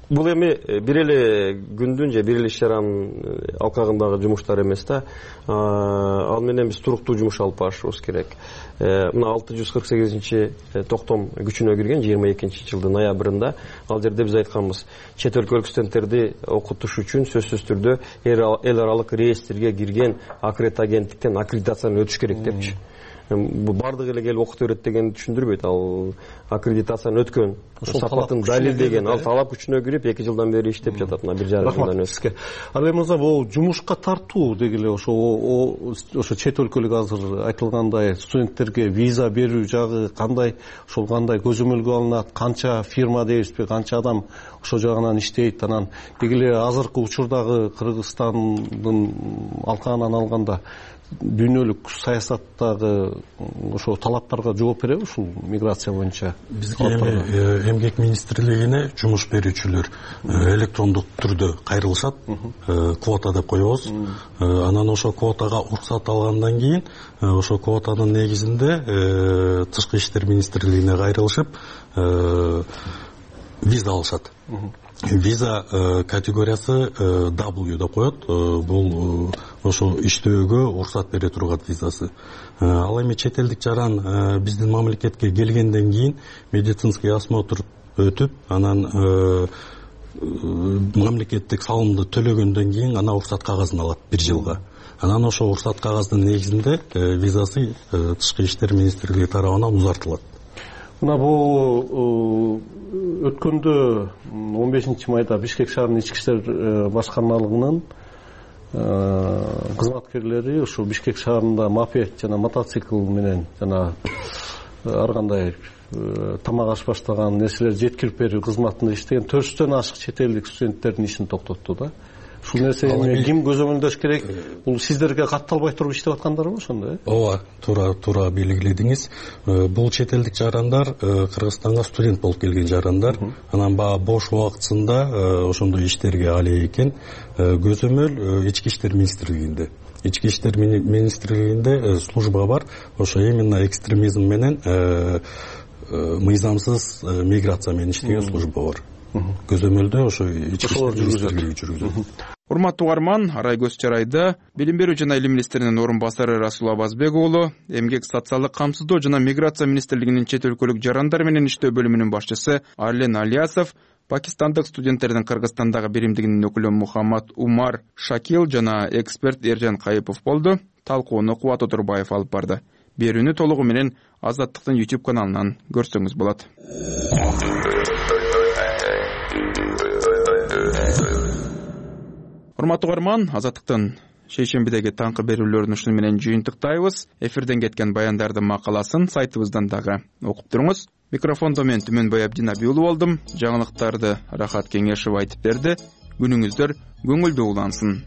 бул эми бир эле күндүн же бир эле иш-чаранын алкагындагы жумуштар эмес да. Ал менен биз туруктуу жумуш алып барышыбыз керек. Мына 648-чи токтом күчүнө кирген 22-жылдын ноябрында. Ал жерде биз айтканбыз, чет өлкөлүк студенттерди окутуш үчүн сөзсүз түрдө эл аралык реестрге кирген агенттиктен аккредитациядан өтүш керек депчи. Бул бардыгы эле келип окута берет дегенди түшүндүрбөйт. Ал аккредитациядан өткөн, сапатын далилдеген, ал талап күчүнө кирип 2 жылдан бери иштеп жатат. Мына 1,5 жылдан өтүп. Ал эми бул жумушка тартуу дегиле ошо чет өлкөлүк азыр айтылгандай студенттерге виза берүү жагы кандай, ошол кандай көзөмөлгө алынат, канча фирма дейбизби, канча адам ошол жагынан иштейт. Анан дегиле азыркы учурдагы Кыргызстандын алкагынан алганда дүйнөлүк саясаттагы ошо талаптарга жооп береби ушул миграция боюнча? Бизге эми эмгек министрлигине жумуш берүүчүлөр электрондук түрдө кайрылышат, квота деп коебуз. Анан ошо квотага уруксат алгандан кийин ошо квотанын негизинде Тышкы иштер министрлигине кайрылышып виза алышат. Виза категориясы W деп коет. Бул ошо иштөөгө уруксат бере турган визасы. Ал эми чет элдик жаран биздин мамлекетке келгенден кийин медицинский осмотр өтүп, анан мамлекеттик салымды төлөгөндөн кийин ана уруксат кагазын алат 1 жылга. Анан ошо уруксат кагаздын негизинде визасы Тышкы иштер министрлиги тарабынан узартылат. Мына бул өткөндө 15-майда Бишкек шаарынын ички иштер башкармалыгынын кызматкерлери ушу Бишкек шаарында мопед жана мотоцикл менен жана ар кандай тамак аш баштаган нерселер жеткирип берүү кызматында иштеген 400дөн ашык чет элдик студенттердин ишин токтотту да. Ушул нерсени ким көзөмөлдөш керек? Бул сиздерге катталбай туруп иштеп аткандарбы ошондо? Ооба, туура белгиледиңиз. Бул чет элдик жарандар Кыргызстанга студент болуп келген жарандар. Анан баягы бош убактысында ошондой иштерге алек экен. Көзөмөл ички иштер министрлигинде. Ички иштер министрлигинде служба бар. Ошо именно экстремизм менен мыйзамсыз миграция менен иштеген служба бар. Көзөмөлдө ошо ички иштер министрлиги жүргүзөт. Урматтуу угарман, Арай көз чарайда Билим берүү жана илим министринин орун басары Расул Абазбек уулу, Эмгек социалдык камсыздоо жана миграция министрлигинин чет өлкөлүк жарандар менен иштөө бөлүмүнүн башчысы Арлен Алиясов, пакистандык студенттердин Кыргызстандагы биримдигинин өкүлү Мухаммад Умар Шакил жана эксперт Эржан Кайыпов болду. Талкууну Кубат Отурбаев алып барды. Берүүнү толугу менен Азаттыктын YouTube каналынан көрсөңүз болот. Урматтуу угарман, Азаттыктын шейшембидеги таңкы берүүлөрүн ушуну менен жыйынтыктайбыз. Эфирден кеткен баяндардын макаласын сайтыбыздан дагы окуп туруңуз. Микрофондо мен Түмөнбай Абдинаби уулу болдум. Жаңылыктарды Рахат Кеңешов айтып берди. Күнүңүздөр көңүлдүү улансын.